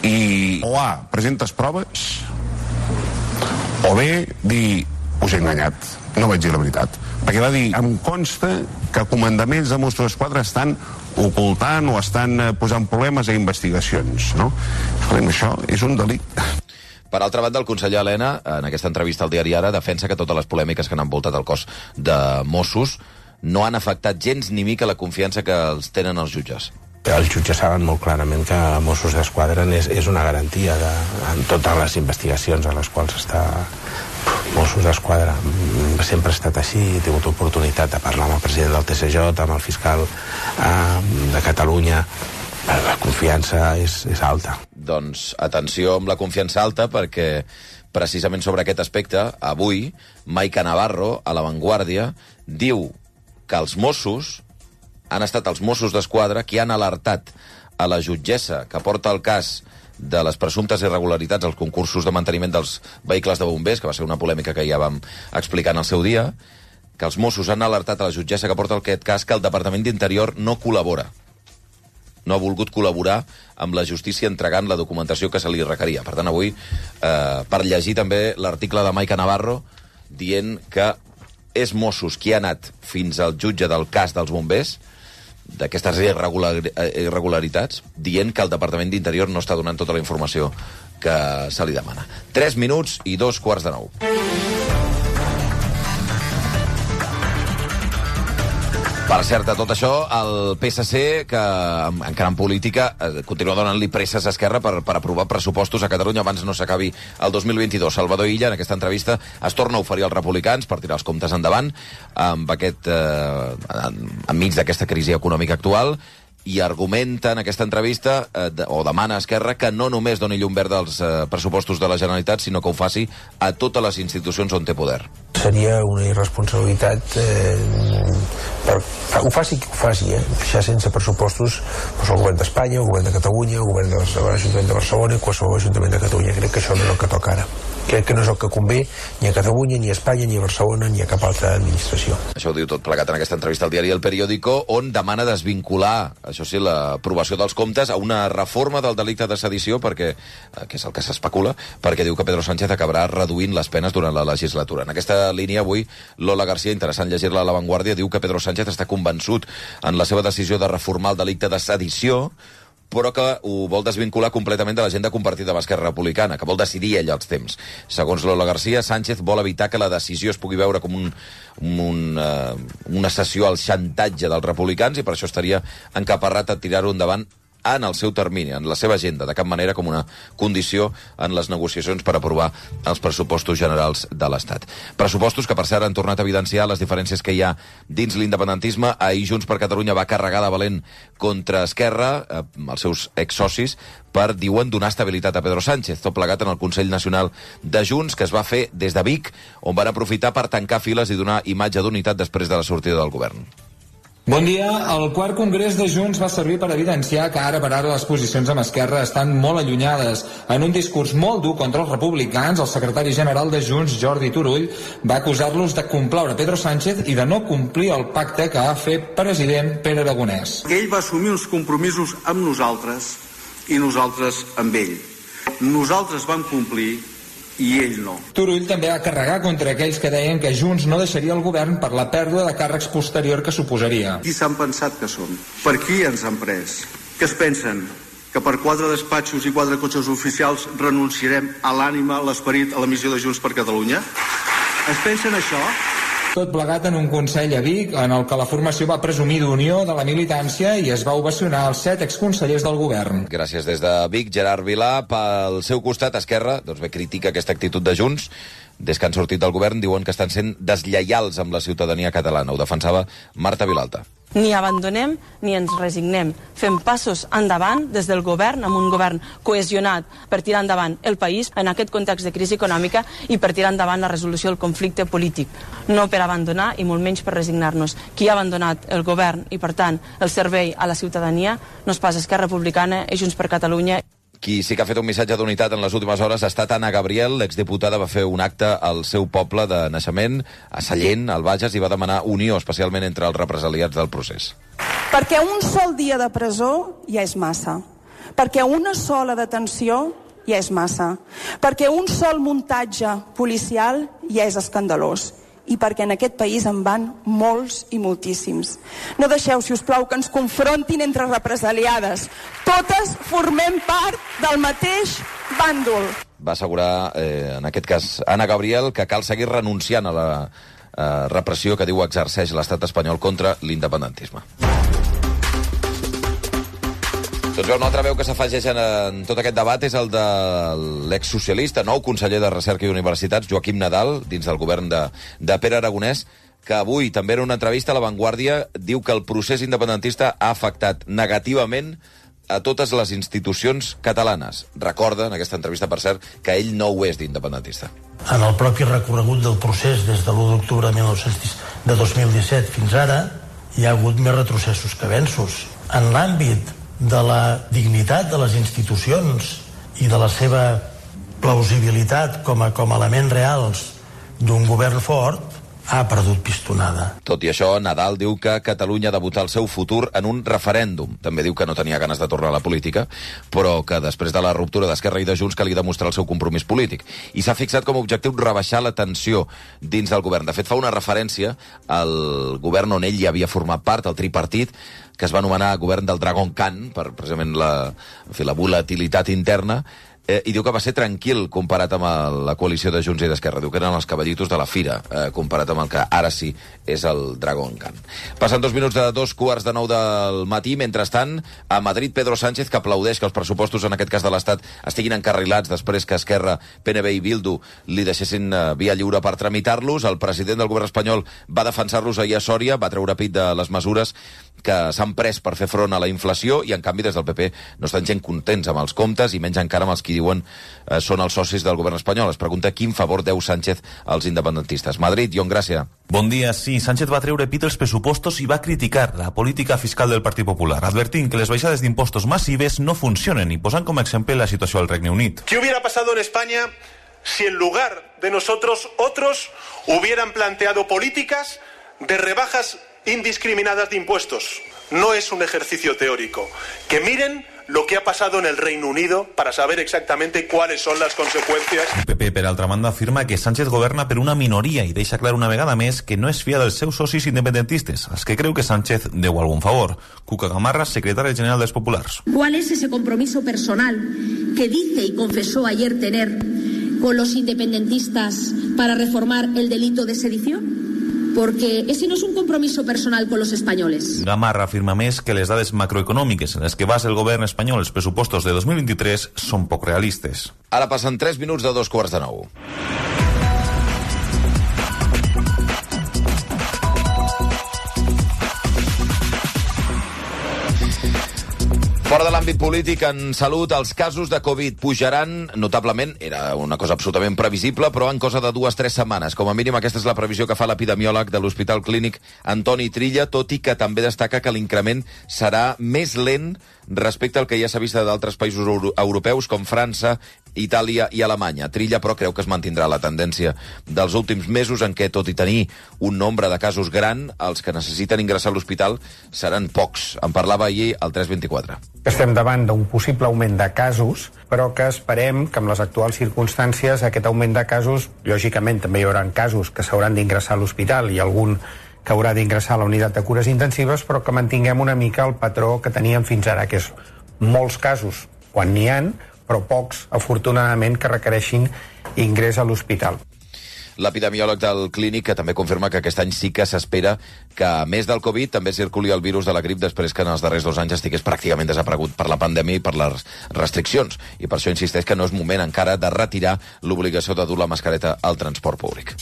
i o A, presentes proves, o B, dir, us he enganyat, no vaig dir la veritat. Perquè va dir, em consta que comandaments de Mossos d'Esquadra estan ocultant o estan posant problemes a investigacions, no? Escolta'm, això és un delicte. Per altra banda, el conseller Elena, en aquesta entrevista al diari Ara, defensa que totes les polèmiques que han envoltat el cos de Mossos no han afectat gens ni mica la confiança que els tenen els jutges. Els jutges saben molt clarament que Mossos d'Esquadra és una garantia en totes les investigacions a les quals està Mossos d'Esquadra. Sempre ha estat així, he tingut oportunitat de parlar amb el president del TSJ, amb el fiscal de Catalunya. La confiança és alta. Doncs atenció amb la confiança alta, perquè precisament sobre aquest aspecte, avui, Maica Navarro, a La Vanguardia, diu que els Mossos han estat els Mossos d'Esquadra qui han alertat a la jutgessa que porta el cas de les presumptes irregularitats als concursos de manteniment dels vehicles de bombers, que va ser una polèmica que ja vam explicar en el seu dia, que els Mossos han alertat a la jutgessa que porta aquest cas que el Departament d'Interior no col·labora. No ha volgut col·laborar amb la justícia entregant la documentació que se li requeria. Per tant, avui, per llegir també l'article de Maica Navarro dient que és Mossos qui ha anat fins al jutge del cas dels bombers, d'aquestes irregularitats, dient que el Departament d'Interior no està donant tota la informació que se li demana. 3 minuts i 8:45. Per cert, de tot això, el PSC, que encara en política, continua donant-li presses a Esquerra per aprovar pressupostos a Catalunya abans no s'acabi el 2022. Salvador Illa, en aquesta entrevista, es torna a oferir als republicans per tirar els comptes endavant enmig d'aquesta crisi econòmica actual, i argumenta en aquesta entrevista, o demana a Esquerra, que no només doni llum verda als pressupostos de la Generalitat, sinó que ho faci a totes les institucions on té poder. Seria una irresponsabilitat ho faci qui ho faci, deixar sense pressupostos el govern d'Espanya, el govern de Catalunya, el govern de l'Ajuntament de Barcelona i qualsevol Ajuntament de Catalunya. Crec que això no és el que toca ara. Crec que no és el que convé ni a Catalunya, ni a Espanya, ni a Barcelona, ni a cap altra administració. Això ho diu tot plegat en aquesta entrevista al diari El Periódico, on demana desvincular, això sí, l'aprovació dels comptes a una reforma del delicte de sedició, perquè, que és el que s'especula, perquè diu que Pedro Sánchez acabarà reduint les penes durant la legislatura. En aquesta línia, avui, Lola García, interessant llegir-la a La Vanguardia, diu que Pedro Sánchez està convençut en la seva decisió de reformar el delicte de sedició, però que ho vol desvincular completament de l'agenda compartida amb Esquerra Republicana, que vol decidir ell els temps. Segons Lola García, Sánchez vol evitar que la decisió es pugui veure com una cessió al xantatge dels republicans, i per això estaria encaparrat a tirar-ho endavant en el seu termini, en la seva agenda, de cap manera com una condició en les negociacions per aprovar els pressupostos generals de l'Estat. Pressupostos que, per cert, han tornat a evidenciar les diferències que hi ha dins l'independentisme. Ahir Junts per Catalunya va carregar de valent contra Esquerra, els seus exsocis, per, diuen, donar estabilitat a Pedro Sánchez, tot plegat en el Consell Nacional de Junts, que es va fer des de Vic, on van aprofitar per tancar files i donar imatge d'unitat després de la sortida del govern. Bon dia. El quart congrés de Junts va servir per evidenciar que ara per ara les posicions amb Esquerra estan molt allunyades. En un discurs molt dur contra els republicans, el secretari general de Junts, Jordi Turull, va acusar-los de complaure Pedro Sánchez i de no complir el pacte que va fer president Pere Aragonès. Ell va assumir uns compromisos amb nosaltres i nosaltres amb ell. Nosaltres vam complir i ell no. Turull també va carregar contra aquells que deien que Junts no deixaria el govern per la pèrdua de càrrecs posterior que suposaria. Qui s'han pensat que som? Per qui ens han pres? Què es pensen? Que per 4 despatxos i 4 cotxes oficials renunciarem a l'ànima, a l'esperit, a la missió de Junts per Catalunya? Es pensen això? Tot plegat en un consell a Vic, en el que la formació va presumir d'unió de la militància i es va ovacionar els 7 exconsellers del govern. Gràcies des de Vic, Gerard Vilà. Pel seu costat, Esquerra, doncs bé, critica aquesta actitud de Junts. Des que han sortit del govern diuen que estan sent deslleials amb la ciutadania catalana. Ho defensava Marta Vilalta. Ni abandonem ni ens resignem. Fem passos endavant des del govern, amb un govern cohesionat per tirar endavant el país en aquest context de crisi econòmica i per tirar endavant la resolució del conflicte polític. No per abandonar i molt menys per resignar-nos. Qui ha abandonat el govern i, per tant, el servei a la ciutadania no és pas Esquerra Republicana i Junts per Catalunya. Qui sí que ha fet un missatge d'unitat en les últimes hores ha estat Anna Gabriel. L'exdiputada va fer un acte al seu poble de naixement, a Sallent, al Bages, i va demanar unió, especialment entre els represaliats del procés. Perquè un sol dia de presó ja és massa. Perquè una sola detenció ja és massa. Perquè un sol muntatge policial ja és escandalós. I perquè en aquest país en van molts i moltíssims. No deixeu, si us plau, que ens confrontin entre represaliades. Totes formem part del mateix bàndol. Va assegurar, en aquest cas, Anna Gabriel, que cal seguir renunciant a la repressió que diu exerceix l'estat espanyol contra l'independentisme. Doncs una altra veu que s'afegeix en tot aquest debat és el de l'exsocialista, nou conseller de Recerca i Universitats, Joaquim Nadal, dins del govern de Pere Aragonès, que avui, també en una entrevista a La Vanguardia, diu que el procés independentista ha afectat negativament a totes les institucions catalanes. Recorda, en aquesta entrevista, per cert, que ell no ho és d'independentista. En el propi recorregut del procés des de l'1 d'octubre de 2017 fins ara, hi ha hagut més retrocessos que avenços. En l'àmbit de la dignitat de les institucions i de la seva plausibilitat com a elements reals d'un govern fort, ha perdut pistonada. Tot i això, Nadal diu que Catalunya ha de votar el seu futur en un referèndum. També diu que no tenia ganes de tornar a la política, però que després de la ruptura d'Esquerra i de Junts calia demostrar el seu compromís polític. I s'ha fixat com a objectiu rebaixar la tensió dins del govern. De fet, fa una referència al govern on ell ja havia format part, el tripartit, que es va anomenar govern del Dragon Khan, per precisament la volatilitat interna, i diu que va ser tranquil comparat amb la coalició de Junts i d'Esquerra. Diu que eren els cavallitos de la fira, comparat amb el que ara sí és el Dragon Khan. Passen 2 minuts de 2:45 del matí. Mentrestant, a Madrid, Pedro Sánchez, que aplaudeix que els pressupostos, en aquest cas de l'Estat, estiguin encarrilats després que Esquerra, PNB i Bildu li deixessin via lliure per tramitar-los. El president del govern espanyol va defensar-los ahir a Sòria, va treure pit de les mesures que s'han pres per fer front a la inflació i, en canvi, des del PP no estan gent contents amb els comptes i menys encara amb els que diuen són els socis del govern espanyol. Es pregunta quin favor deu Sánchez als independentistes. Madrid, Ion Gràcia. Bon dia. Sí, Sánchez va treure pit els pressupostos i va criticar la política fiscal del Partit Popular, advertint que les baixades d'impostos massives no funcionen i posant com a exemple la situació al Regne Unit. ¿Qué hubiera pasado en España si en lugar de nosotros otros hubieran planteado políticas de rebajas indiscriminadas de impuestos? No es un ejercicio teórico. Que miren lo que ha pasado en el Reino Unido para saber exactamente cuáles son las consecuencias. El PP, per altra banda, afirma que Sánchez governa per una minoria i deixa clar una vegada més que no es fia dels seus socis independentistes, als que creu que Sánchez deu algun favor. Cuca Gamarra, secretari general dels Populars. ¿Cuál es ese compromiso personal que dice y confesó ayer tener con los independentistas para reformar el delito de sedición? Porque ese no es un compromiso personal con los españoles. Gamarra afirma més que les dades macroeconòmiques en les que basa el govern espanyol els pressupostos de 2023 són poc realistes. Ara passen 3 minuts de 8:45. Fora de l'àmbit polític, en salut, els casos de Covid pujaran notablement. Era una cosa absolutament previsible, però en cosa de 2-3 setmanes. Com a mínim, aquesta és la previsió que fa l'epidemiòleg de l'Hospital Clínic Antoni Trilla, tot i que també destaca que l'increment serà més lent respecte al que ja s'ha vist d'altres països europeus, com França, Itàlia i Alemanya. Trilla, però, creu que es mantindrà la tendència dels últims mesos en què, tot i tenir un nombre de casos gran, els que necessiten ingressar a l'hospital seran pocs. En parlava ahir al 324. Estem davant d'un possible augment de casos, però que esperem que amb les actuals circumstàncies aquest augment de casos, lògicament també hi haurà casos que s'hauran d'ingressar a l'hospital i algun que haurà d'ingressar a la unitat de cures intensives, però que mantinguem una mica el patró que teníem fins ara, que és molts casos quan n'hi ha, però pocs, afortunadament, que requereixin ingrés a l'hospital. L'epidemiòleg del Clínic, que també confirma que aquest any sí que s'espera que, a més del Covid, també circuli el virus de la grip després que en els darrers 2 anys estigués pràcticament desaparegut per la pandèmia i per les restriccions. I per això insisteix que no és moment encara de retirar l'obligació de dur la mascareta al transport públic.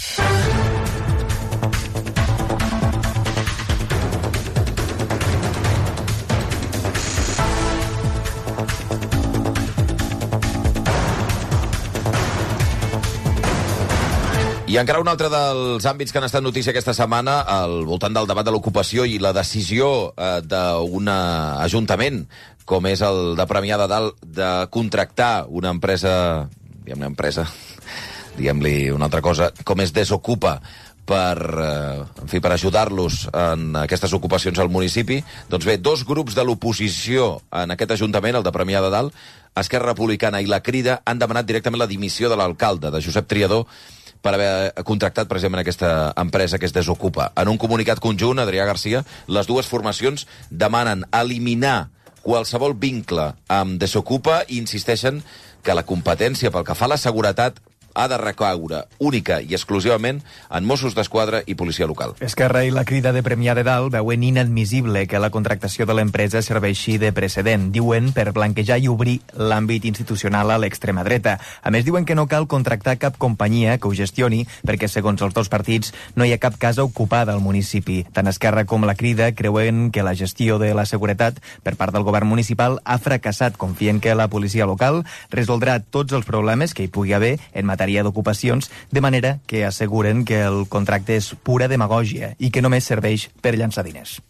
I encara un altre dels àmbits que han estat notícia aquesta setmana al voltant del debat de l'ocupació i la decisió d'un ajuntament, com és el de Premià de Dalt, de contractar una empresa, diguem-li una altra cosa, com és Desocupa, per ajudar-los en aquestes ocupacions al municipi. Doncs bé, 2 grups de l'oposició en aquest ajuntament, el de Premià de Dalt, Esquerra Republicana i la Crida, han demanat directament la dimissió de l'alcalde, de Josep Triadó, per haver contractat precisament aquesta empresa que es Desocupa. En un comunicat conjunt, Adrià Garcia, les dues formacions demanen eliminar qualsevol vincle amb Desocupa i insisteixen que la competència pel que fa a la seguretat ha de recaure única i exclusivament en Mossos d'Esquadra i policia local. Esquerra i la Crida de Premià de Dalt veuen inadmissible que la contractació de l'empresa serveixi de precedent, diuen, per blanquejar i obrir l'àmbit institucional a l'extrema dreta. A més, diuen que no cal contractar cap companyia que ho gestioni perquè, segons els dos partits, no hi ha cap casa ocupada al municipi. Tant Esquerra com la Crida creuen que la gestió de la seguretat per part del govern municipal ha fracassat. Confien que la policia local resoldrà tots els problemes que hi pugui haver en matèria d'ocupacions, de manera que asseguren que el contracte és pura demagògia i que només serveix per llançar diners.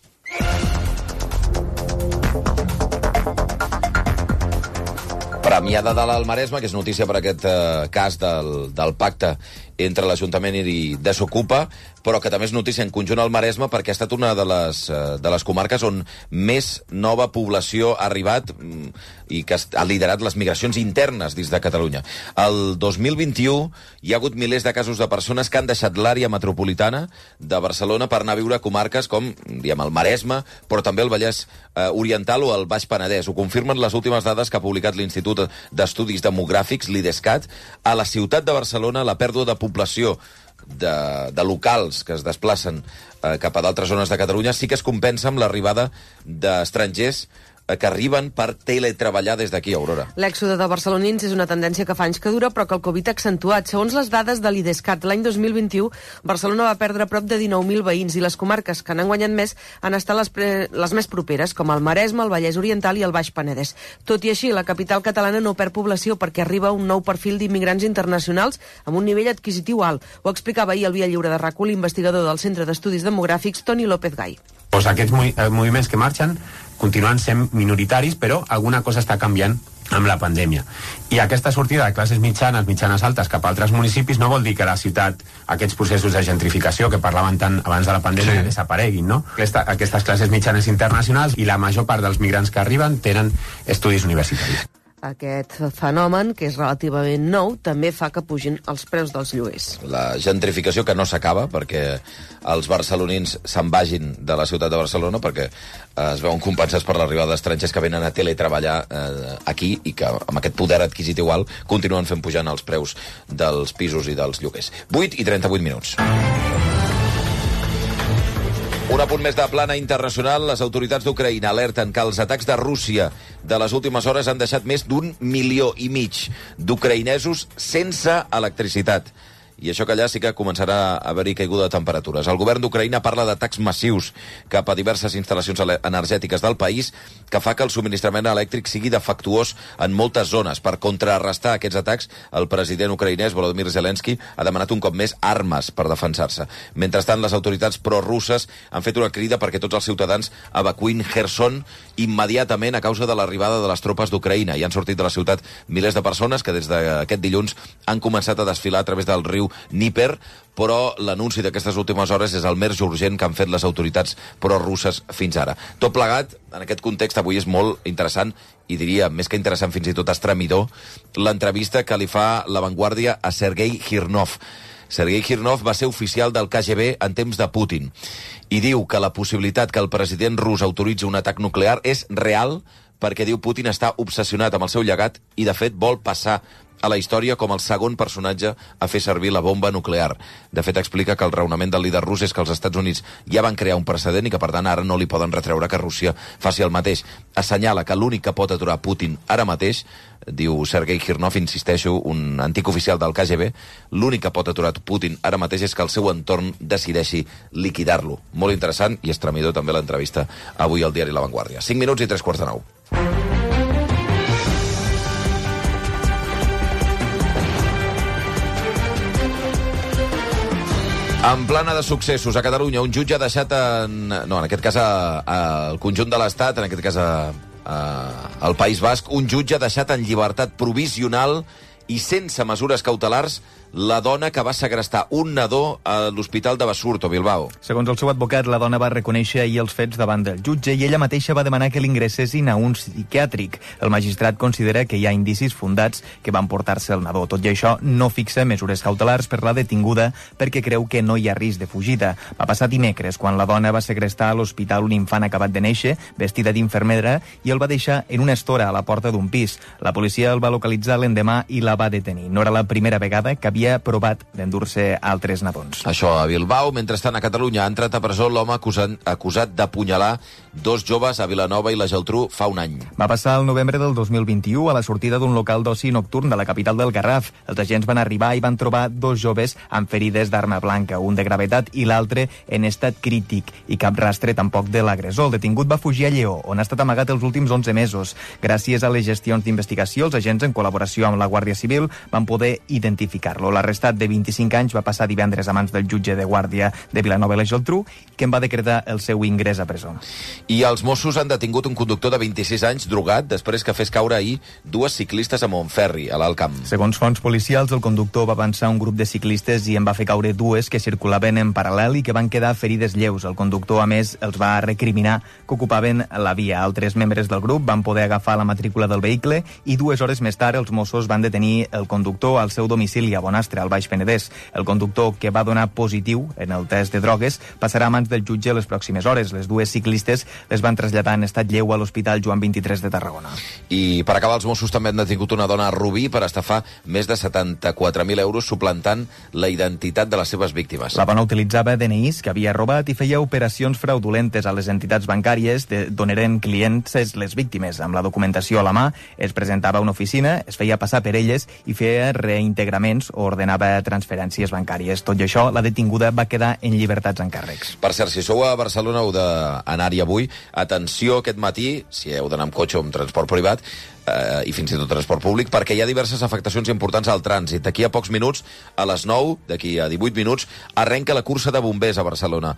Premià de Dalt al Maresme, que és notícia per aquest cas del pacte entre l'Ajuntament i Desocupa, però que també és notícia en conjunt al Maresme perquè ha estat una de les comarques on més nova població ha arribat i que ha liderat les migracions internes dins de Catalunya. El 2021 hi ha hagut milers de casos de persones que han deixat l'àrea metropolitana de Barcelona per anar a viure a comarques com, diguem, el Maresme, però també el Vallès Oriental o el Baix Penedès. Ho confirmen les últimes dades que ha publicat l'Institut d'Estudis Demogràfics, l'IDESCAT. A la ciutat de Barcelona, la pèrdua de població de locals que es desplacen cap a d'altres zones de Catalunya sí que es compensa amb l'arribada d'estrangers que arriben per teletreballar des d'aquí, Aurora. L'èxode de barcelonins és una tendència que fa anys que dura, però que el Covid ha accentuat. Segons les dades de l'IDESCAT, l'any 2021, Barcelona va perdre prop de 19.000 veïns i les comarques que n'han guanyat més han estat les més properes, com el Maresme, el Vallès Oriental i el Baix Penedès. Tot i així, la capital catalana no perd població perquè arriba un nou perfil d'immigrants internacionals amb un nivell adquisitiu alt. Ho explicava ahir al Via Lliure de RAC1 l'investigador del Centre d'Estudis Demogràfics, Toni López Gai. Pues aquests moviments que marxen continuen sent minoritaris, però alguna cosa està canviant amb la pandèmia. I aquesta sortida de classes mitjanes altes cap a altres municipis no vol dir que la ciutat, aquests processos de gentrificació que parlaven tant abans de la pandèmia, desapareguin, no? Aquestes classes mitjanes internacionals i la major part dels migrants que arriben tenen estudis universitaris. Aquest fenomen, que és relativament nou, també fa que pugin els preus dels lloguers. La gentrificació que no s'acaba perquè els barcelonins se'n vagin de la ciutat de Barcelona perquè es veuen compensats per l'arribada d'estrangers que venen a teletreballar aquí i que amb aquest poder adquisitiu alt continuen fent pujant els preus dels pisos i dels lloguers. 8:38. Un apunt més de plana internacional. Les autoritats d'Ucraïna alerten que els atacs de Rússia de les últimes hores han deixat més d'1,5 milió d'ucraïnesos sense electricitat. i això que allà sí que començarà a haver-hi caiguda de temperatures. El govern d'Ucraïna parla d'atacs massius cap a diverses instal·lacions energètiques del país, que fa que el subministrament elèctric sigui defectuós en moltes zones. Per contrarrestar aquests atacs, el president ucraïnès Volodymyr Zelensky ha demanat un cop més armes per defensar-se. Mentrestant, les autoritats prorusses han fet una crida perquè tots els ciutadans evacuïn Kherson immediatament a causa de l'arribada de les tropes d'Ucraïna. I han sortit de la ciutat milers de persones que des d'aquest dilluns han començat a desfilar a través del riu Dníper, però l'anunci d'aquestes últimes hores és el més urgent que han fet les autoritats prorusses fins ara. Tot plegat, en aquest context, avui és molt interessant, i diria, més que interessant, fins i tot estremidor, l'entrevista que li fa La Vanguardia a Sergei Girnov. Sergei Girnov va ser oficial del KGB en temps de Putin i diu que la possibilitat que el president rus autoritzi un atac nuclear és real perquè, diu, Putin està obsessionat amb el seu llegat i, de fet, vol passar a la història com el segon personatge a fer servir la bomba nuclear. De fet, explica que el raonament del líder rus és que els Estats Units ja van crear un precedent i que, per tant, ara no li poden retreure que Rússia faci el mateix. Assenyala que l'únic que pot aturar Putin ara mateix, diu Sergei Girnov, insisteixo, un antic oficial del KGB, l'únic que pot aturar Putin ara mateix és que el seu entorn decideixi liquidar-lo. Molt interessant i estremidor també l'entrevista avui al diari La Vanguardia. 5 minuts i 3:45. En plana de successos, a Catalunya, un jutge ha deixat en aquest cas al conjunt de l'Estat, en aquest cas al País Basc, un jutge ha deixat en llibertat provisional i sense mesures cautelars la dona que va segrestar un nadó a l'Hospital de Basurto, Bilbao. Segons el seu advocat, la dona va reconèixer ahir els fets davant del jutge i ella mateixa va demanar que l'ingressessin a un psiquiàtric. El magistrat considera que hi ha indicis fundats que van portar-se el nadó. Tot i això, no fixa mesures cautelars per la detinguda perquè creu que no hi ha risc de fugida. Va passar dimecres, quan la dona va segrestar a l'hospital un infant acabat de néixer, vestida d'infermera, i el va deixar en una estora a la porta d'un pis. La policia el va localitzar l'endemà i la va detenir. No era la primera vegada que havia provat d'endur-se altres nadons. Això a Bilbao. Mentrestant, a Catalunya ha entrat a presó l'home acusat d'apunyalar 2 joves a Vilanova i la Geltrú fa un any. Va passar el novembre del 2021 a la sortida d'un local d'oci nocturn de la capital del Garraf. Els agents van arribar i van trobar 2 joves amb ferides d'arma blanca, un de gravetat i l'altre en estat crític, i cap rastre tampoc de l'agressor. El detingut va fugir a Lleó, on ha estat amagat els últims 11 mesos. Gràcies a les gestions d'investigació, els agents, en col·laboració amb la Guàrdia Civil, van poder identificar-lo. L'arrestat de 25 anys va passar divendres a mans del jutge de guàrdia de Vilanova i la Geltrú, que en va decretar el seu ingrés a presó. I els Mossos han detingut un conductor de 26 anys drogat després que fes caure ahir 2 ciclistes a Montferri, a l'Alt Camp. Segons fonts policials, el conductor va avançar un grup de ciclistes i en va fer caure 2 que circulaven en paral·lel i que van quedar ferides lleus. El conductor, a més, els va recriminar que ocupaven la via. Altres membres del grup van poder agafar la matrícula del vehicle i 2 hores més tard els Mossos van detenir el conductor al seu domicili a Bonastre, al Baix Penedès. El conductor, que va donar positiu en el test de drogues, passarà a mans del jutge les pròximes hores. Les 2 ciclistes les van traslladar en estat lleu a l'Hospital Joan 23 de Tarragona. I per acabar, els Mossos també han detingut una dona a Rubí per estafar més de 74.000 euros suplantant la identitat de les seves víctimes. La dona utilitzava DNIs que havia robat i feia operacions fraudulentes a les entitats bancàries d'on eren clients les víctimes. Amb la documentació a la mà, es presentava a una oficina, es feia passar per elles i feia reintegraments o ordenava transferències bancàries. Tot i això, la detinguda va quedar en llibertats en càrrecs. Per cert, si sou a Barcelona heu d'anar-hi avui, atenció aquest matí, si heu d'anar amb cotxe o amb transport privat, i fins i tot transport públic, perquè hi ha diverses afectacions importants al trànsit. D'aquí a pocs minuts, a les 9, d'aquí a 18 minuts, arrenca la cursa de bombers a Barcelona.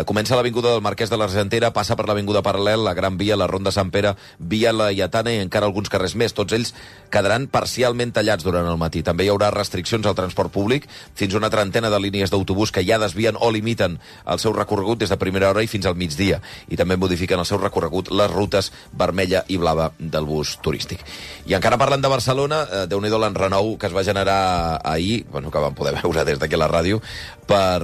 Comença a l'Avinguda del Marquès de l'Argentera, passa per l'Avinguda Paral·lel, la Gran Via, la Ronda Sant Pere, Via Laietana i encara alguns carrers més. Tots ells quedaran parcialment tallats durant el matí. També hi haurà restriccions al transport públic, fins a una trentena de línies d'autobús que ja desvien o limiten el seu recorregut des de primera hora i fins al migdia. I també modifiquen el seu recorregut les rutes vermella i blava del bus turístic. I encara parlant de Barcelona, déu-n'hi-do l'enrenou que es va generar ahir, que vam poder veure des d'aquí a la ràdio, per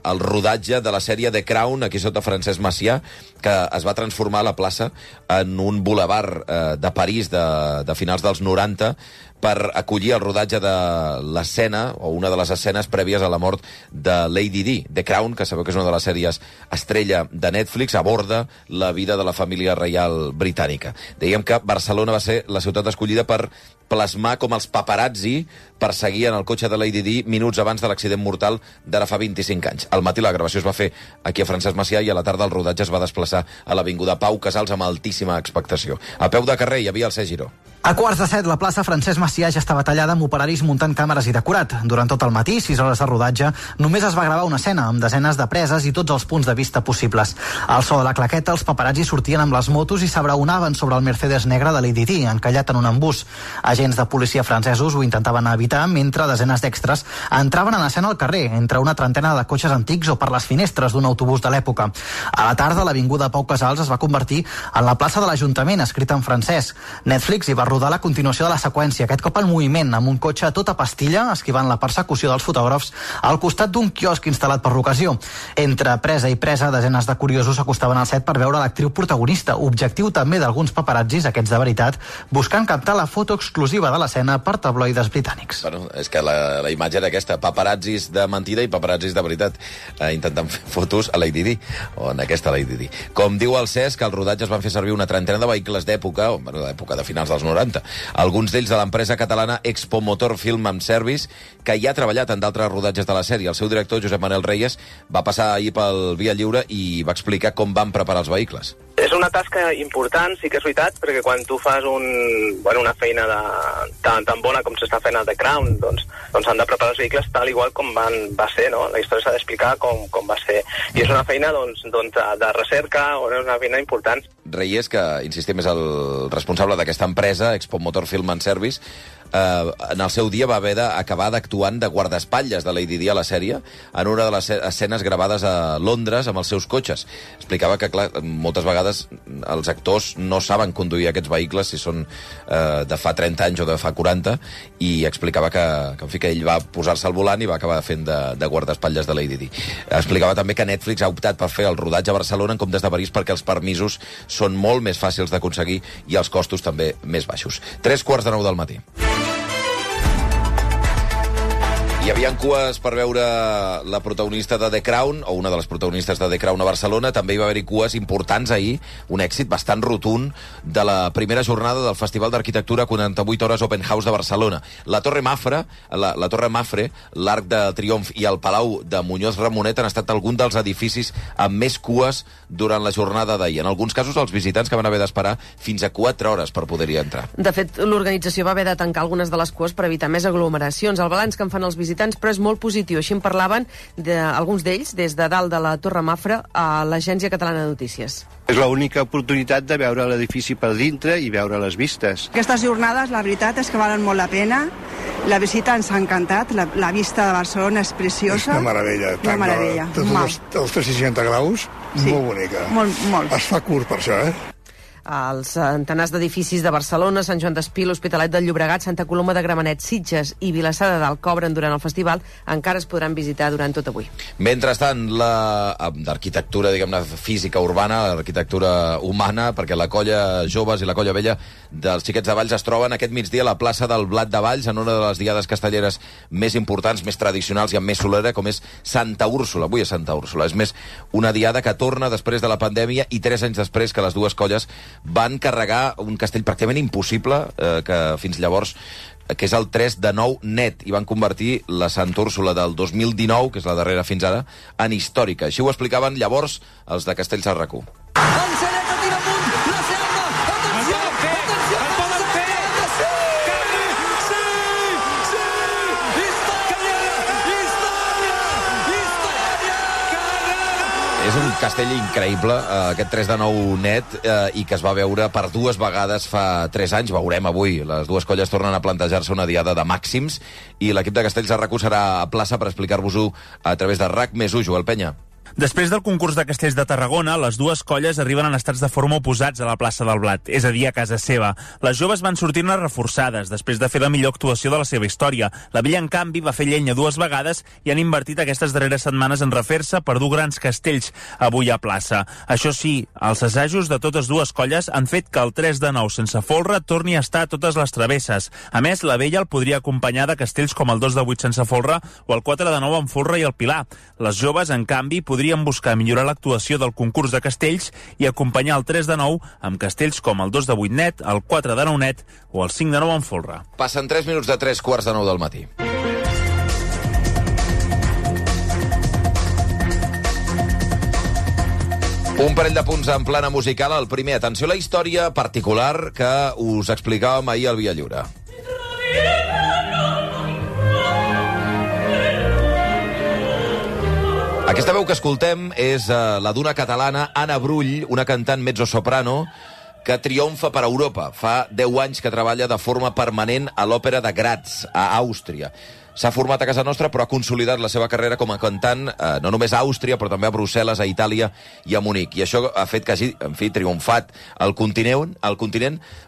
el rodatge de la sèrie The Crown, aquí sota Francesc Macià, que es va transformar a la plaça en un bulevard de París de finals dels 90, per acollir el rodatge de l'escena, o una de les escenes prèvies a la mort de Lady Di. The Crown, que sabeu que és una de les sèries estrella de Netflix, aborda la vida de la família reial britànica. Dèiem que Barcelona va ser la ciutat escollida per plasmar com els paparazzi perseguien el cotxe de Lady Di minuts abans de l'accident mortal d'ara fa 25 anys. Al matí la gravació es va fer aquí a Francesc Macià i a la tarda el rodatge es va desplaçar a l'Avinguda Pau Casals amb altíssima expectació. A peu de carrer hi havia el Cesc Giró. A 6:45, la plaça Francesc Macià ja estava tallada amb operaris muntant càmeres i decorat. Durant tot el matí, 6 hores de rodatge, només es va gravar una escena amb desenes de preses i tots els punts de vista possibles. Al so de la claqueta, els paparazzis sortien amb les motos i s'abraonaven sobre el Mercedes negre de Lady Di, encallat en un embús. Agents de policia francesos ho intentaven evitar, mentre desenes d'extres entraven en escena al carrer, entre una trentena de cotxes antics o per les finestres d'un autobús de l'època. A la tarda, l'Avinguda Pau Casals es va convertir en la plaça de l'Ajuntament, escrita en francès. Netflix hi va rodar la continuació de la seqüència, aquest cop en moviment, amb un cotxe a tota pastilla, esquivant la persecució dels fotògrafs, al costat d'un quiosc instal·lat per l'ocasió. Entre presa i presa, desenes de curiosos s'acostaven al set per veure l'actriu protagonista, objectiu també d'alguns paparazzis, aquests de veritat, buscant captar la foto exclusiva de l'escena per tabloides britànics. Bueno, és que la imatge era aquesta, paparazzis de mentida i paparazzis de veritat, intentant fer fotos a Lady Di, o en aquesta Lady Di. Com diu el Cesc, el rodatge es van fer servir una trentena de vehicles d'època, o d'època de finals dels 90, alguns d'ells de l'empresa catalana Expo Motor Film and Service, que ja ha treballat en d'altres rodatges de la sèrie. El seu director, Josep Manel Reyes, va passar ahir pel Via Lliure i va explicar com van preparar els vehicles. És una tasca important, sí que és veritat, perquè quan tu fas una feina tan bona com s'està fent a The Crown, doncs han de preparar els vehicles tal igual com va ser, no? La història s'ha d'explicar com va ser. I és una feina de recerca, o és una feina important. Reyes, que, insistim, és el responsable d'aquesta empresa, Expo Motor Film and Service, en el seu dia va haver d'acabar d'actuant de guardaespatlles de Lady Di a la sèrie en una de les escenes gravades a Londres amb els seus cotxes. Explicava que, clar, moltes vegades els actors no saben conduir aquests vehicles si són de fa 30 anys o de fa 40, i explicava que ell va posar-se al volant i va acabar fent de guardaespatlles de Lady Di. Explicava també que Netflix ha optat per fer el rodatge a Barcelona en comptes de París perquè els permisos són molt més fàcils d'aconseguir i els costos també més baixos. 3:45 del matí. Hi havia cues per veure la protagonista de The Crown, o una de les protagonistes de The Crown a Barcelona. També hi va haver-hi cues importants ahir, un èxit bastant rotund de la primera jornada del Festival d'Arquitectura 48 Hores Open House de Barcelona. La Torre Mafre, l'Arc de Triomf i el Palau de Muñoz Ramonet han estat alguns dels edificis amb més cues durant la jornada d'ahir. En alguns casos, els visitants que van haver d'esperar fins a 4 hores per poder-hi entrar. De fet, l'organització va haver de tancar algunes de les cues per evitar més aglomeracions. El balanç que en fan els visitants, però és molt positiu. Així en parlaven alguns d'ells des de dalt de la Torre Mafre a l'Agència Catalana de Notícies. És l'única oportunitat de veure l'edifici per dintre i veure les vistes. Aquestes jornades, la veritat és que valen molt la pena. La visita ens ha encantat. La vista de Barcelona és preciosa. És una meravella. Una meravella. Els 360 graus, sí. Molt bonica. Molt. Es fa curt per això, Els centenars d'edificis de Barcelona, Sant Joan d'Espí, l'Hospitalet del Llobregat, Santa Coloma de Gramenet, Sitges i Vilassar de Dalt cobren durant el festival, encara es podran visitar durant tot avui. Mentrestant, l'arquitectura, diguem-ne, física urbana, l'arquitectura humana, perquè la colla joves i la colla vella dels Xiquets de Valls es troben aquest migdia a la plaça del Blat de Valls, en una de les diades castelleres més importants, més tradicionals i amb més solera, com és Santa Úrsula. Avui és Santa Úrsula. És més, una diada que torna després de la pandèmia i 3 anys després que les dues colles van carregar un castell pràcticament impossible, que fins llavors, que és el 3 de 9 net, i van convertir la Santa Úrsula del 2019, que és la darrera fins ara, en històrica. Així ho explicaven llavors els de Castells al RAC1. És un castell increïble, aquest 3 de 9 net, i que es va veure per 2 vegades fa 3 anys. Veurem avui. Les dues colles tornen a plantejar-se una diada de màxims i l'equip de Castells de RAC1 serà a plaça per explicar-vos-ho a través de RAC+1. Joel Penya. Després del concurs de Castells de Tarragona, les dues colles arriben en estats de forma oposats a la plaça del Blat, és a dir, a casa seva. Les joves van sortir-ne reforçades, després de fer la millor actuació de la seva història. La Vella, en canvi, va fer llenya 2 vegades i han invertit aquestes darreres setmanes en refer-se per dur grans castells avui a plaça. Això sí, els assajos de totes dues colles han fet que el 3 de 9 sense folre torni a estar a totes les travesses. A més, la Vella el podria acompanyar de castells com el 2 de 8 sense folre o el 4 de 9 amb folre i el Pilar. Les joves, en canvi, podrien buscar millorar l'actuació del concurs de castells i acompanyar el 3 de 9 amb castells com el 2 de 8 net, el 4 de 9 net o el 5 de 9 amb folre. Passen 3 minuts de 3:45 del matí. Un parell de punts en plana musical. El primer, atenció a la història particular que us explicàvem ahir al Via Lliure. Aquesta veu que escoltem és la d'una catalana, Anna Brull, una cantant mezzosoprano que triomfa per Europa. Fa 10 anys que treballa de forma permanent a l'Òpera de Graz, a Àustria. S'ha format a casa nostra, però ha consolidat la seva carrera com a cantant no només a Àustria, però també a Brussel·les, a Itàlia i a Munic. I això ha fet que hagi, triomfat al continent,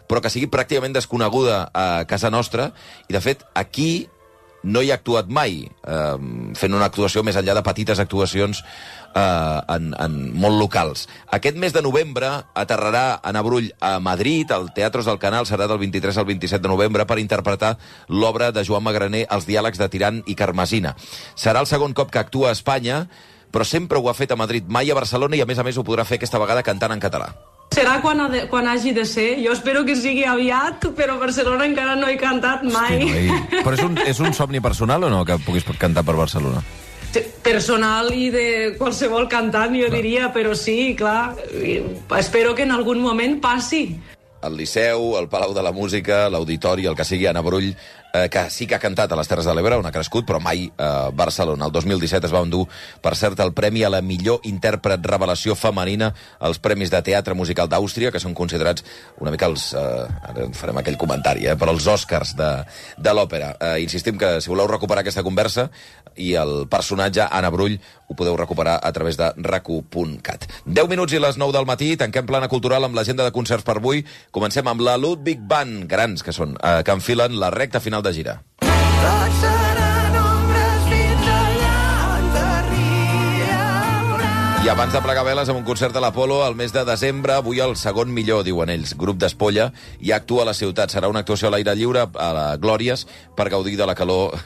però que sigui pràcticament desconeguda a casa nostra. I, de fet, aquí no hi ha actuat mai, fent una actuació més enllà de petites actuacions molt locals. Aquest mes de novembre aterrarà Anna Brull a Madrid, al Teatros del Canal, serà del 23 al 27 de novembre, per interpretar l'obra de Joan Magraner, Els diàlegs de Tirant i Carmesina. Serà el segon cop que actua a Espanya, però sempre ho ha fet a Madrid, mai a Barcelona, i a més ho podrà fer aquesta vegada cantant en català. Serà quan hagi de ser. Jo espero que sigui aviat, però a Barcelona encara no he cantat mai. Hosti, però és un somni personal o no, que puguis cantar per Barcelona? Personal i de qualsevol cantant, jo diria, però sí, clar. Espero que en algun moment passi. El Liceu, el Palau de la Música, l'Auditori, el que sigui, Anna Brull, que sí que ha cantat a les Terres de l'Ebre, on ha crescut, però mai a Barcelona. El 2017 es va endur, per cert, el Premi a la millor intèrpret revelació femenina als Premis de Teatre Musical d'Àustria, que són considerats una mica els... ara farem aquell comentari, però els Oscars de l'òpera. Insistim que si voleu recuperar aquesta conversa i el personatge Anna Brull ho podeu recuperar a través de racu.cat. 10 minuts i les 9 del matí, tanquem plana cultural amb l'agenda de concerts per avui. Comencem amb la Ludwig Band, grans que són, que enfilen la recta final de gira. Tots seran ombres fins allà on t'arribarà. I abans de plegar veles amb un concert a l'Apolo al mes de desembre, avui el segon millor, diuen ells, grup d'Espolla, i actua a la ciutat. Serà una actuació a l'aire lliure, a la Glòries, per gaudir de la calor,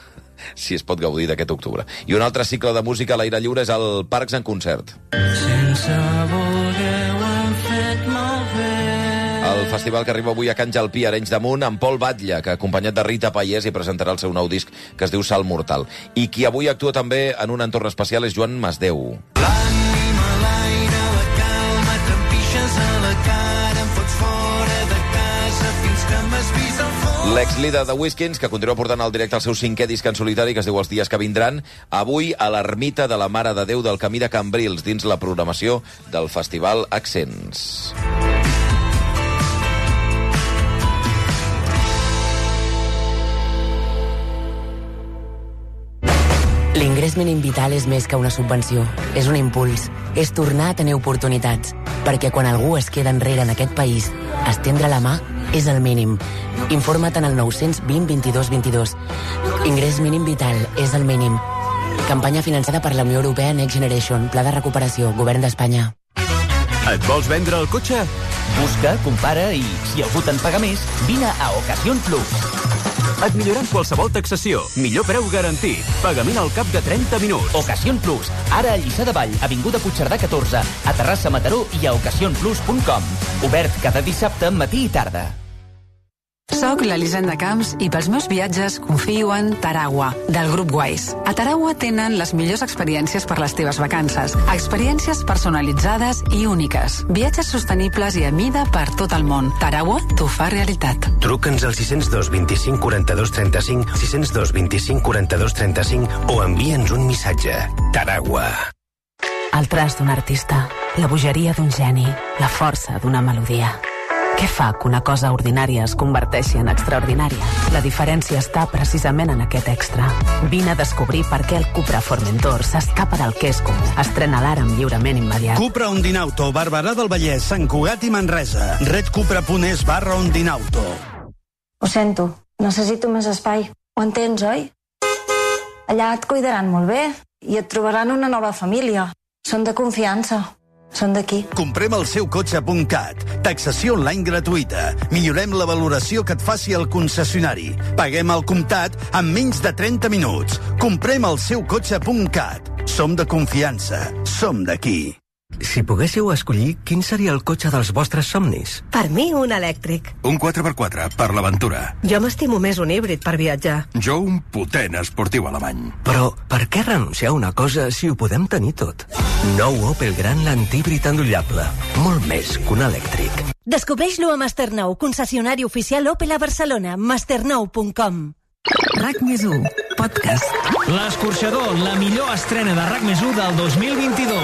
si es pot gaudir d'aquest octubre. I un altre cicle de música a l'aire lliure és el Parcs en concert. Sense voler ho hem fet malbé. El festival que arriba avui a Can Jalpí, Arenys de Munt, amb Pol Batlle, que acompanyat de Rita Pallès hi presentarà el seu nou disc que es diu Salt Mortal. I qui avui actua també en un entorn especial és Joan Masdeu. L'ànima a l'aire, la calma, t'empixes a la cara, em fots fora de casa fins que m'has vist al fons. L'ex-líder de Whiskins, que continua portant al directe el seu 5è disc en solitari, que es diu Els dies que vindran, avui a l'Ermita de la Mare de Déu del Camí de Cambrils, dins la programació del Festival Accents. L'ingrés mínim vital és més que una subvenció. És un impuls. És tornar a tenir oportunitats. Perquè quan algú es queda enrere en aquest país, estendre la mà és el mínim. Informa't en el 920 22 22. Ingrés mínim vital és el mínim. Campanya finançada per la Unió Europea Next Generation. Pla de recuperació. Govern d'Espanya. Et vols vendre el cotxe? Busca, compara i, si algú te'n paga més, vine a Ocasión Plus. Et millorem qualsevol taxació. Millor preu garantit. Pagament al cap de 30 minuts. Ocasión Plus. Ara a Lliçà de Vall, avinguda Puigcerdà 14, a Terrassa, Mataró i a ocasionplus.com. Obert cada dissabte, matí i tarda. Soc l'Elisenda Camps i pels meus viatges confio en Taragua, del grup Wise. A Taragua tenen les millors experiències per les teves vacances. Experiències personalitzades i úniques. Viatges sostenibles i a mida per tot el món. Taragua t'ho fa realitat. Truca'ns al 602 25 42 35, 602 25 42 35 o envia'ns un missatge. Taragua. El traç d'un artista, la bogeria d'un geni, la força d'una melodia. Què fa que una cosa ordinària es converteixi en extraordinària? La diferència està precisament en aquest extra. Vine a descobrir per què el Cupra Formentor s'escapa del que és comú. Estrena l'ara amb lliurament immediat. Cupra Ondinauto, Barberà del Vallès, Sant Cugat i Manresa. redcupra.es/Ondinauto. Ho sento, necessito més espai. Ho entens, oi? Allà et cuidaran molt bé i et trobaran una nova família. Són de confiança. Són d'aquí. Comprem el seu cotxe.cat. Taxació online gratuïta. Millorem la valoració que et faci el concessionari. Paguem al comptat en menys de 30 minuts. Comprem el seu cotxe.cat. Som de confiança. Som d'aquí. Si poguéssiu escollir, quin seria el cotxe dels vostres somnis? Per mi, un elèctric. Un 4x4, per l'aventura. Jo m'estimo més un híbrid per viatjar. Jo un potent esportiu alemany. Però per què renunciar a una cosa si ho podem tenir tot? Nou Opel Grandland híbrid endollable. Molt més que un elèctric. Descobreix-lo a Masternou, concessionari oficial Opel a Barcelona. masternou.com. RAC+1, podcast. L'Escorxador, la millor estrena de RAC+1 del 2022.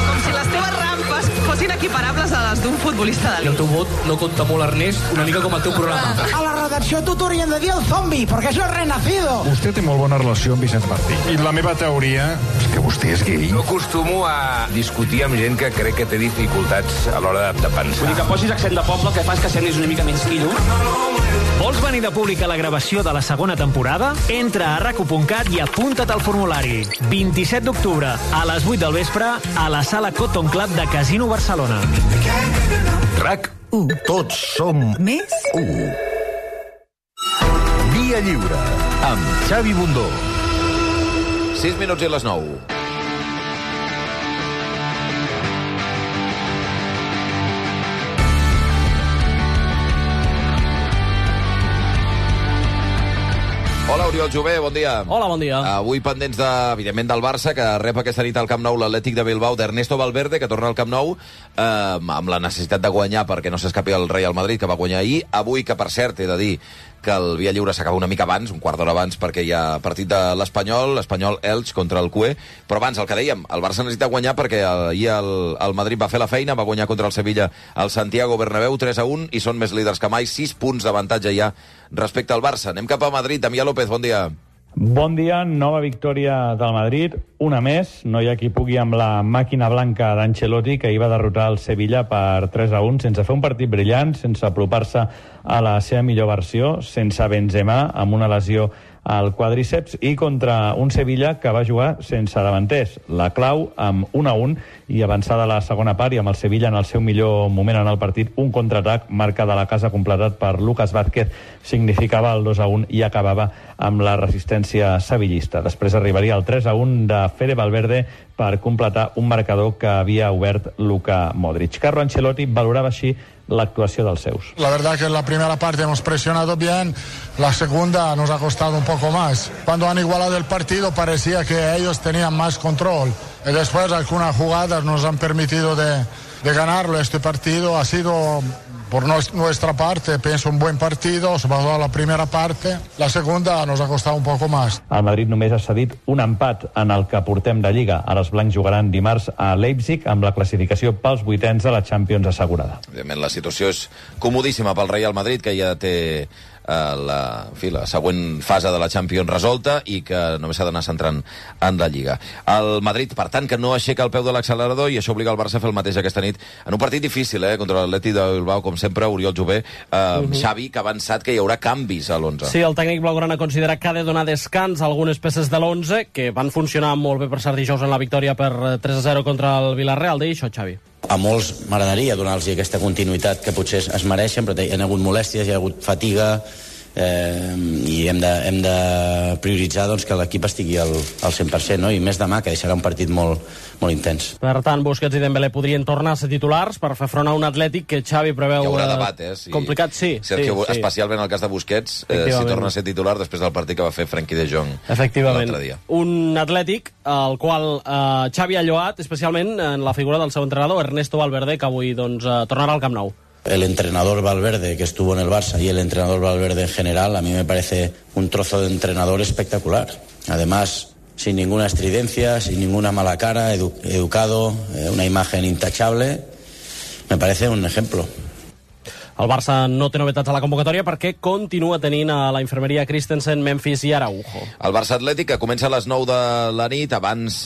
Com si les teves rampes fossin equiparables a les d'un futbolista d'elit. I el teu vot no compta molt, Ernest, una mica com el teu programa. A la redacció tu t'haurien de dir el zombi, perquè és el renacido. Vostè té molt bona relació amb Vicenç Martí. I la meva teoria és que vostè és gay. No acostumo a discutir amb gent que crec que té dificultats a l'hora de pensar. Vull dir que posis accent de poble, que fas que semblis una mica menys quilo. Vols venir de públic a la gravació de la segona temporada? Entra a rac1.cat i apunta't al formulari. 27 d'octubre, a les 8 del vespre, a la sala Cotton Club de Casino Barcelona. RAC1. Tots som més 1. Via Lliure, amb Xavi Bundó. 6 minuts i les 9. Hola, Oriol Jové, bon dia. Hola, bon dia. Avui pendents, evidentment, del Barça, que rep aquesta nit al Camp Nou l'Atlètic de Bilbao d'Ernesto Valverde, que torna al Camp Nou amb la necessitat de guanyar perquè no s'escapi el Real Madrid, que va guanyar ahir. Avui, que per cert, he de dir que el Via Lliure s'acaba una mica abans, un quart d'hora abans, perquè hi ha partit de l'Espanyol Elx contra el QE, però abans, el que dèiem, el Barça necessita guanyar perquè ahir el Madrid va fer la feina, va guanyar contra el Sevilla al Santiago Bernabéu 3-1 i són més líders que mai, 6 punts d'avantatge ja respecte al Barça. Anem cap a Madrid. Damià López, bon dia. Bon dia, nova victòria del Madrid, una més, no hi ha qui pugui amb la màquina blanca d'Ancelotti, que hi va derrotar el Sevilla per 3-1, sense fer un partit brillant, sense apropar-se a la seva millor versió, sense Benzema, amb una lesió al quadríceps, i contra un Sevilla que va jugar sense davanters. La clau amb 1-1 i avançada la segona part, i amb el Sevilla en el seu millor moment en el partit, un contraatac marca de la casa completat per Lucas Vázquez significava el 2-1 i acabava amb la resistència sevillista. Després arribaria el 3-1 de Fede Valverde per completar un marcador que havia obert Luka Modric. Carlo Ancelotti valorava així l'actuació dels seus. La verdad que en la primera parte hemos presionado bien, la segunda nos ha costado un poco más. Cuando han igualado el partido parecía que ellos tenían más control. Y después algunas jugadas nos han permitido de ganarlo. Este partido ha sido, por nuestra parte, pienso un buen partido, sobre todo la primera parte. La segunda nos ha costado un poco más. El Madrid només ha cedit un empat en el que portem de Lliga. Ara els blancs jugaran dimarts a Leipzig amb la classificació pels vuitens de la Champions assegurada. Evidentment, la situació és comodíssima pel Real Madrid, que ja té la següent fase de la Champions resolta i que només s'ha d'anar centrant en la Lliga. El Madrid, per tant, que no aixeca el peu de l'accelerador, i això obliga el Barça a fer el mateix aquesta nit en un partit difícil, contra l'Atlètic de Bilbao, com sempre. Oriol Jové, Xavi, que ha avançat que hi haurà canvis a l'11. Sí, el tècnic blaugrana considera que ha de donar descans a algunes peces de l'11 que van funcionar molt bé per cert dijous en la victòria per 3-0 contra el Villarreal. Deia això, Xavi. A molts m'agradaria donar-los aquesta continuïtat que potser es mereixen, però hi ha hagut molèsties, hi ha hagut fatiga, i hem de prioritzar doncs, que l'equip estigui al 100%, no? I més demà, que deixarà un partit molt intens. Per tant, Busquets i Dembélé podrien tornar a ser titulars per fer front a un Atlètic que Xavi preveu hi haurà debat, complicat, sí. Especialment el cas de Busquets, si torna a ser titular després del partit que va fer Frenkie de Jong l'altre dia. Un Atlètic al qual Xavi ha lloat especialment en la figura del seu entrenador, Ernesto Valverde, que avui tornarà al Camp Nou. El entrenador Valverde, que estuvo en el Barça, y el entrenador Valverde en general, a mí me parece un trozo de entrenador espectacular. Además, sin ninguna estridencia, sin ninguna mala cara, educado, una imagen intachable. Me parece un ejemplo. El Barça no té novetats a la convocatòria perquè continua tenint a la infermeria Christensen, Memphis i Araujo. El Barça Atlètic, que comença a les 9 de la nit, abans,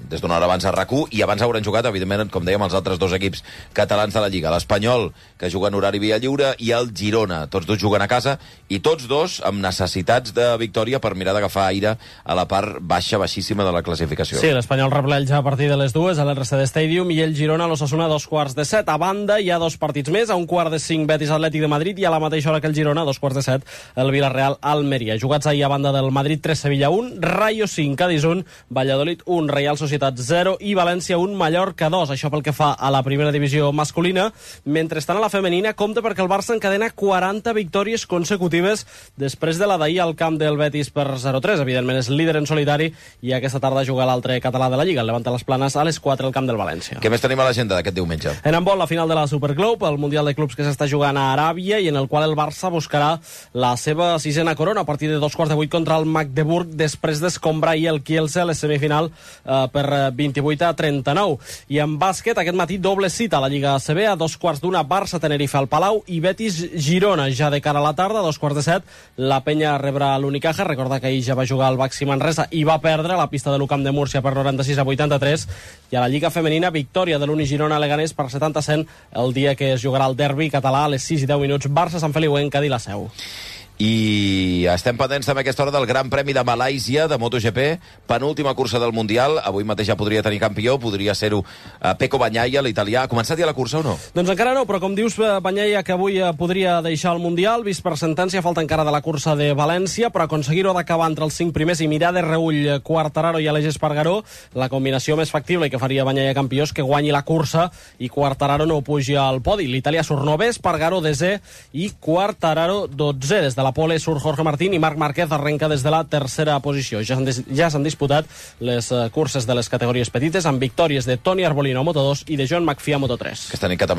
des d'una hora abans a RAC1, i abans hauran jugat, evidentment, com dèiem, els altres dos equips catalans de la Lliga. L'Espanyol, que juga en horari via lliure, i el Girona. Tots dos juguen a casa, i tots dos amb necessitats de victòria per mirar d'agafar aire a la part baixíssima de la classificació. Sí, l'Espanyol rebleix a partir de les 2 a l'RCD Stadium i el Girona a l'Osasuna a 7:15. A banda, hi ha dos partits més, a 5:45 Betis Atlètic de Madrid i a la mateixa hora que el Girona, a 7:15 el Villarreal Almeria. Jugats ahir a banda del Madrid 3, Sevilla 1, Rayo 5, Cádiz 1, Valladolid 1, Real Societat 0 i València 1, Mallorca 2. Això pel que fa a la primera divisió masculina. Mentrestant, a la femenina, compte perquè el Barça encadena 40 victòries consecutives després de la d'ahir al camp del Betis per 0-3. Evidentment és líder en solitari i aquesta tarda juga l'altre català de la Lliga, el Levante les Planes, a les 4 al camp del València. Què més tenim a l'agenda d'aquest diumenge? En handbol, la final de la Superglobe, el Mundial de Clubs que s'està jugant a Aràbia i en el qual el Barça buscarà la seva 6a corona a partir de 2:15 contra el Magdeburg, després d'escombrar ahir el Kielce a la semifinal per 28-39. I en bàsquet, aquest matí, doble cita a la Lliga ACB, a 2:15 Barça-Tenerife al Palau i Betis-Girona. Ja de cara a la tarda, a 2:15, la Penya rebrà l'Unicaja. Recorda que ahir ja va jugar al Baxi Manresa i va perdre a la pista de l'UCAM de Múrcia per 96-83. I a la Lliga Femenina, victòria de l'Uni-Girona a Leganés per 70-100 el dia que es jugarà el derbi català a les 6:10, Barça-Sant Feliu en Cadí la Seu. I estem pendents també a aquesta hora del Gran Premi de Malàisia de MotoGP, penúltima cursa del Mundial. Avui mateix ja podria tenir campió, podria ser-ho Pecco Bagnaia, l'italià. Ha començat ja la cursa o no? Doncs encara no, però com dius, Bagnaia, que avui podria deixar el Mundial, vist per sentència, falta encara de la cursa de València, però aconseguir-ho d'acabar entre els 5 primers i mirar de reull Quartararo i Aleix Espargaró, la combinació més factible i que faria Bagnaia campió és que guanyi la cursa i Quartararo no pugi al podi. L'italià surt 9è, Espargaró 10è i Quartararo 12è. Des de la pole surt Jorge Martín i Marc Márquez arrenca des de la tercera posició. Ja s'han disputat les curses de les categories petites amb victòries de Toni Arbolino a Moto2 i de John McPhee a Moto3. Aquesta nit que també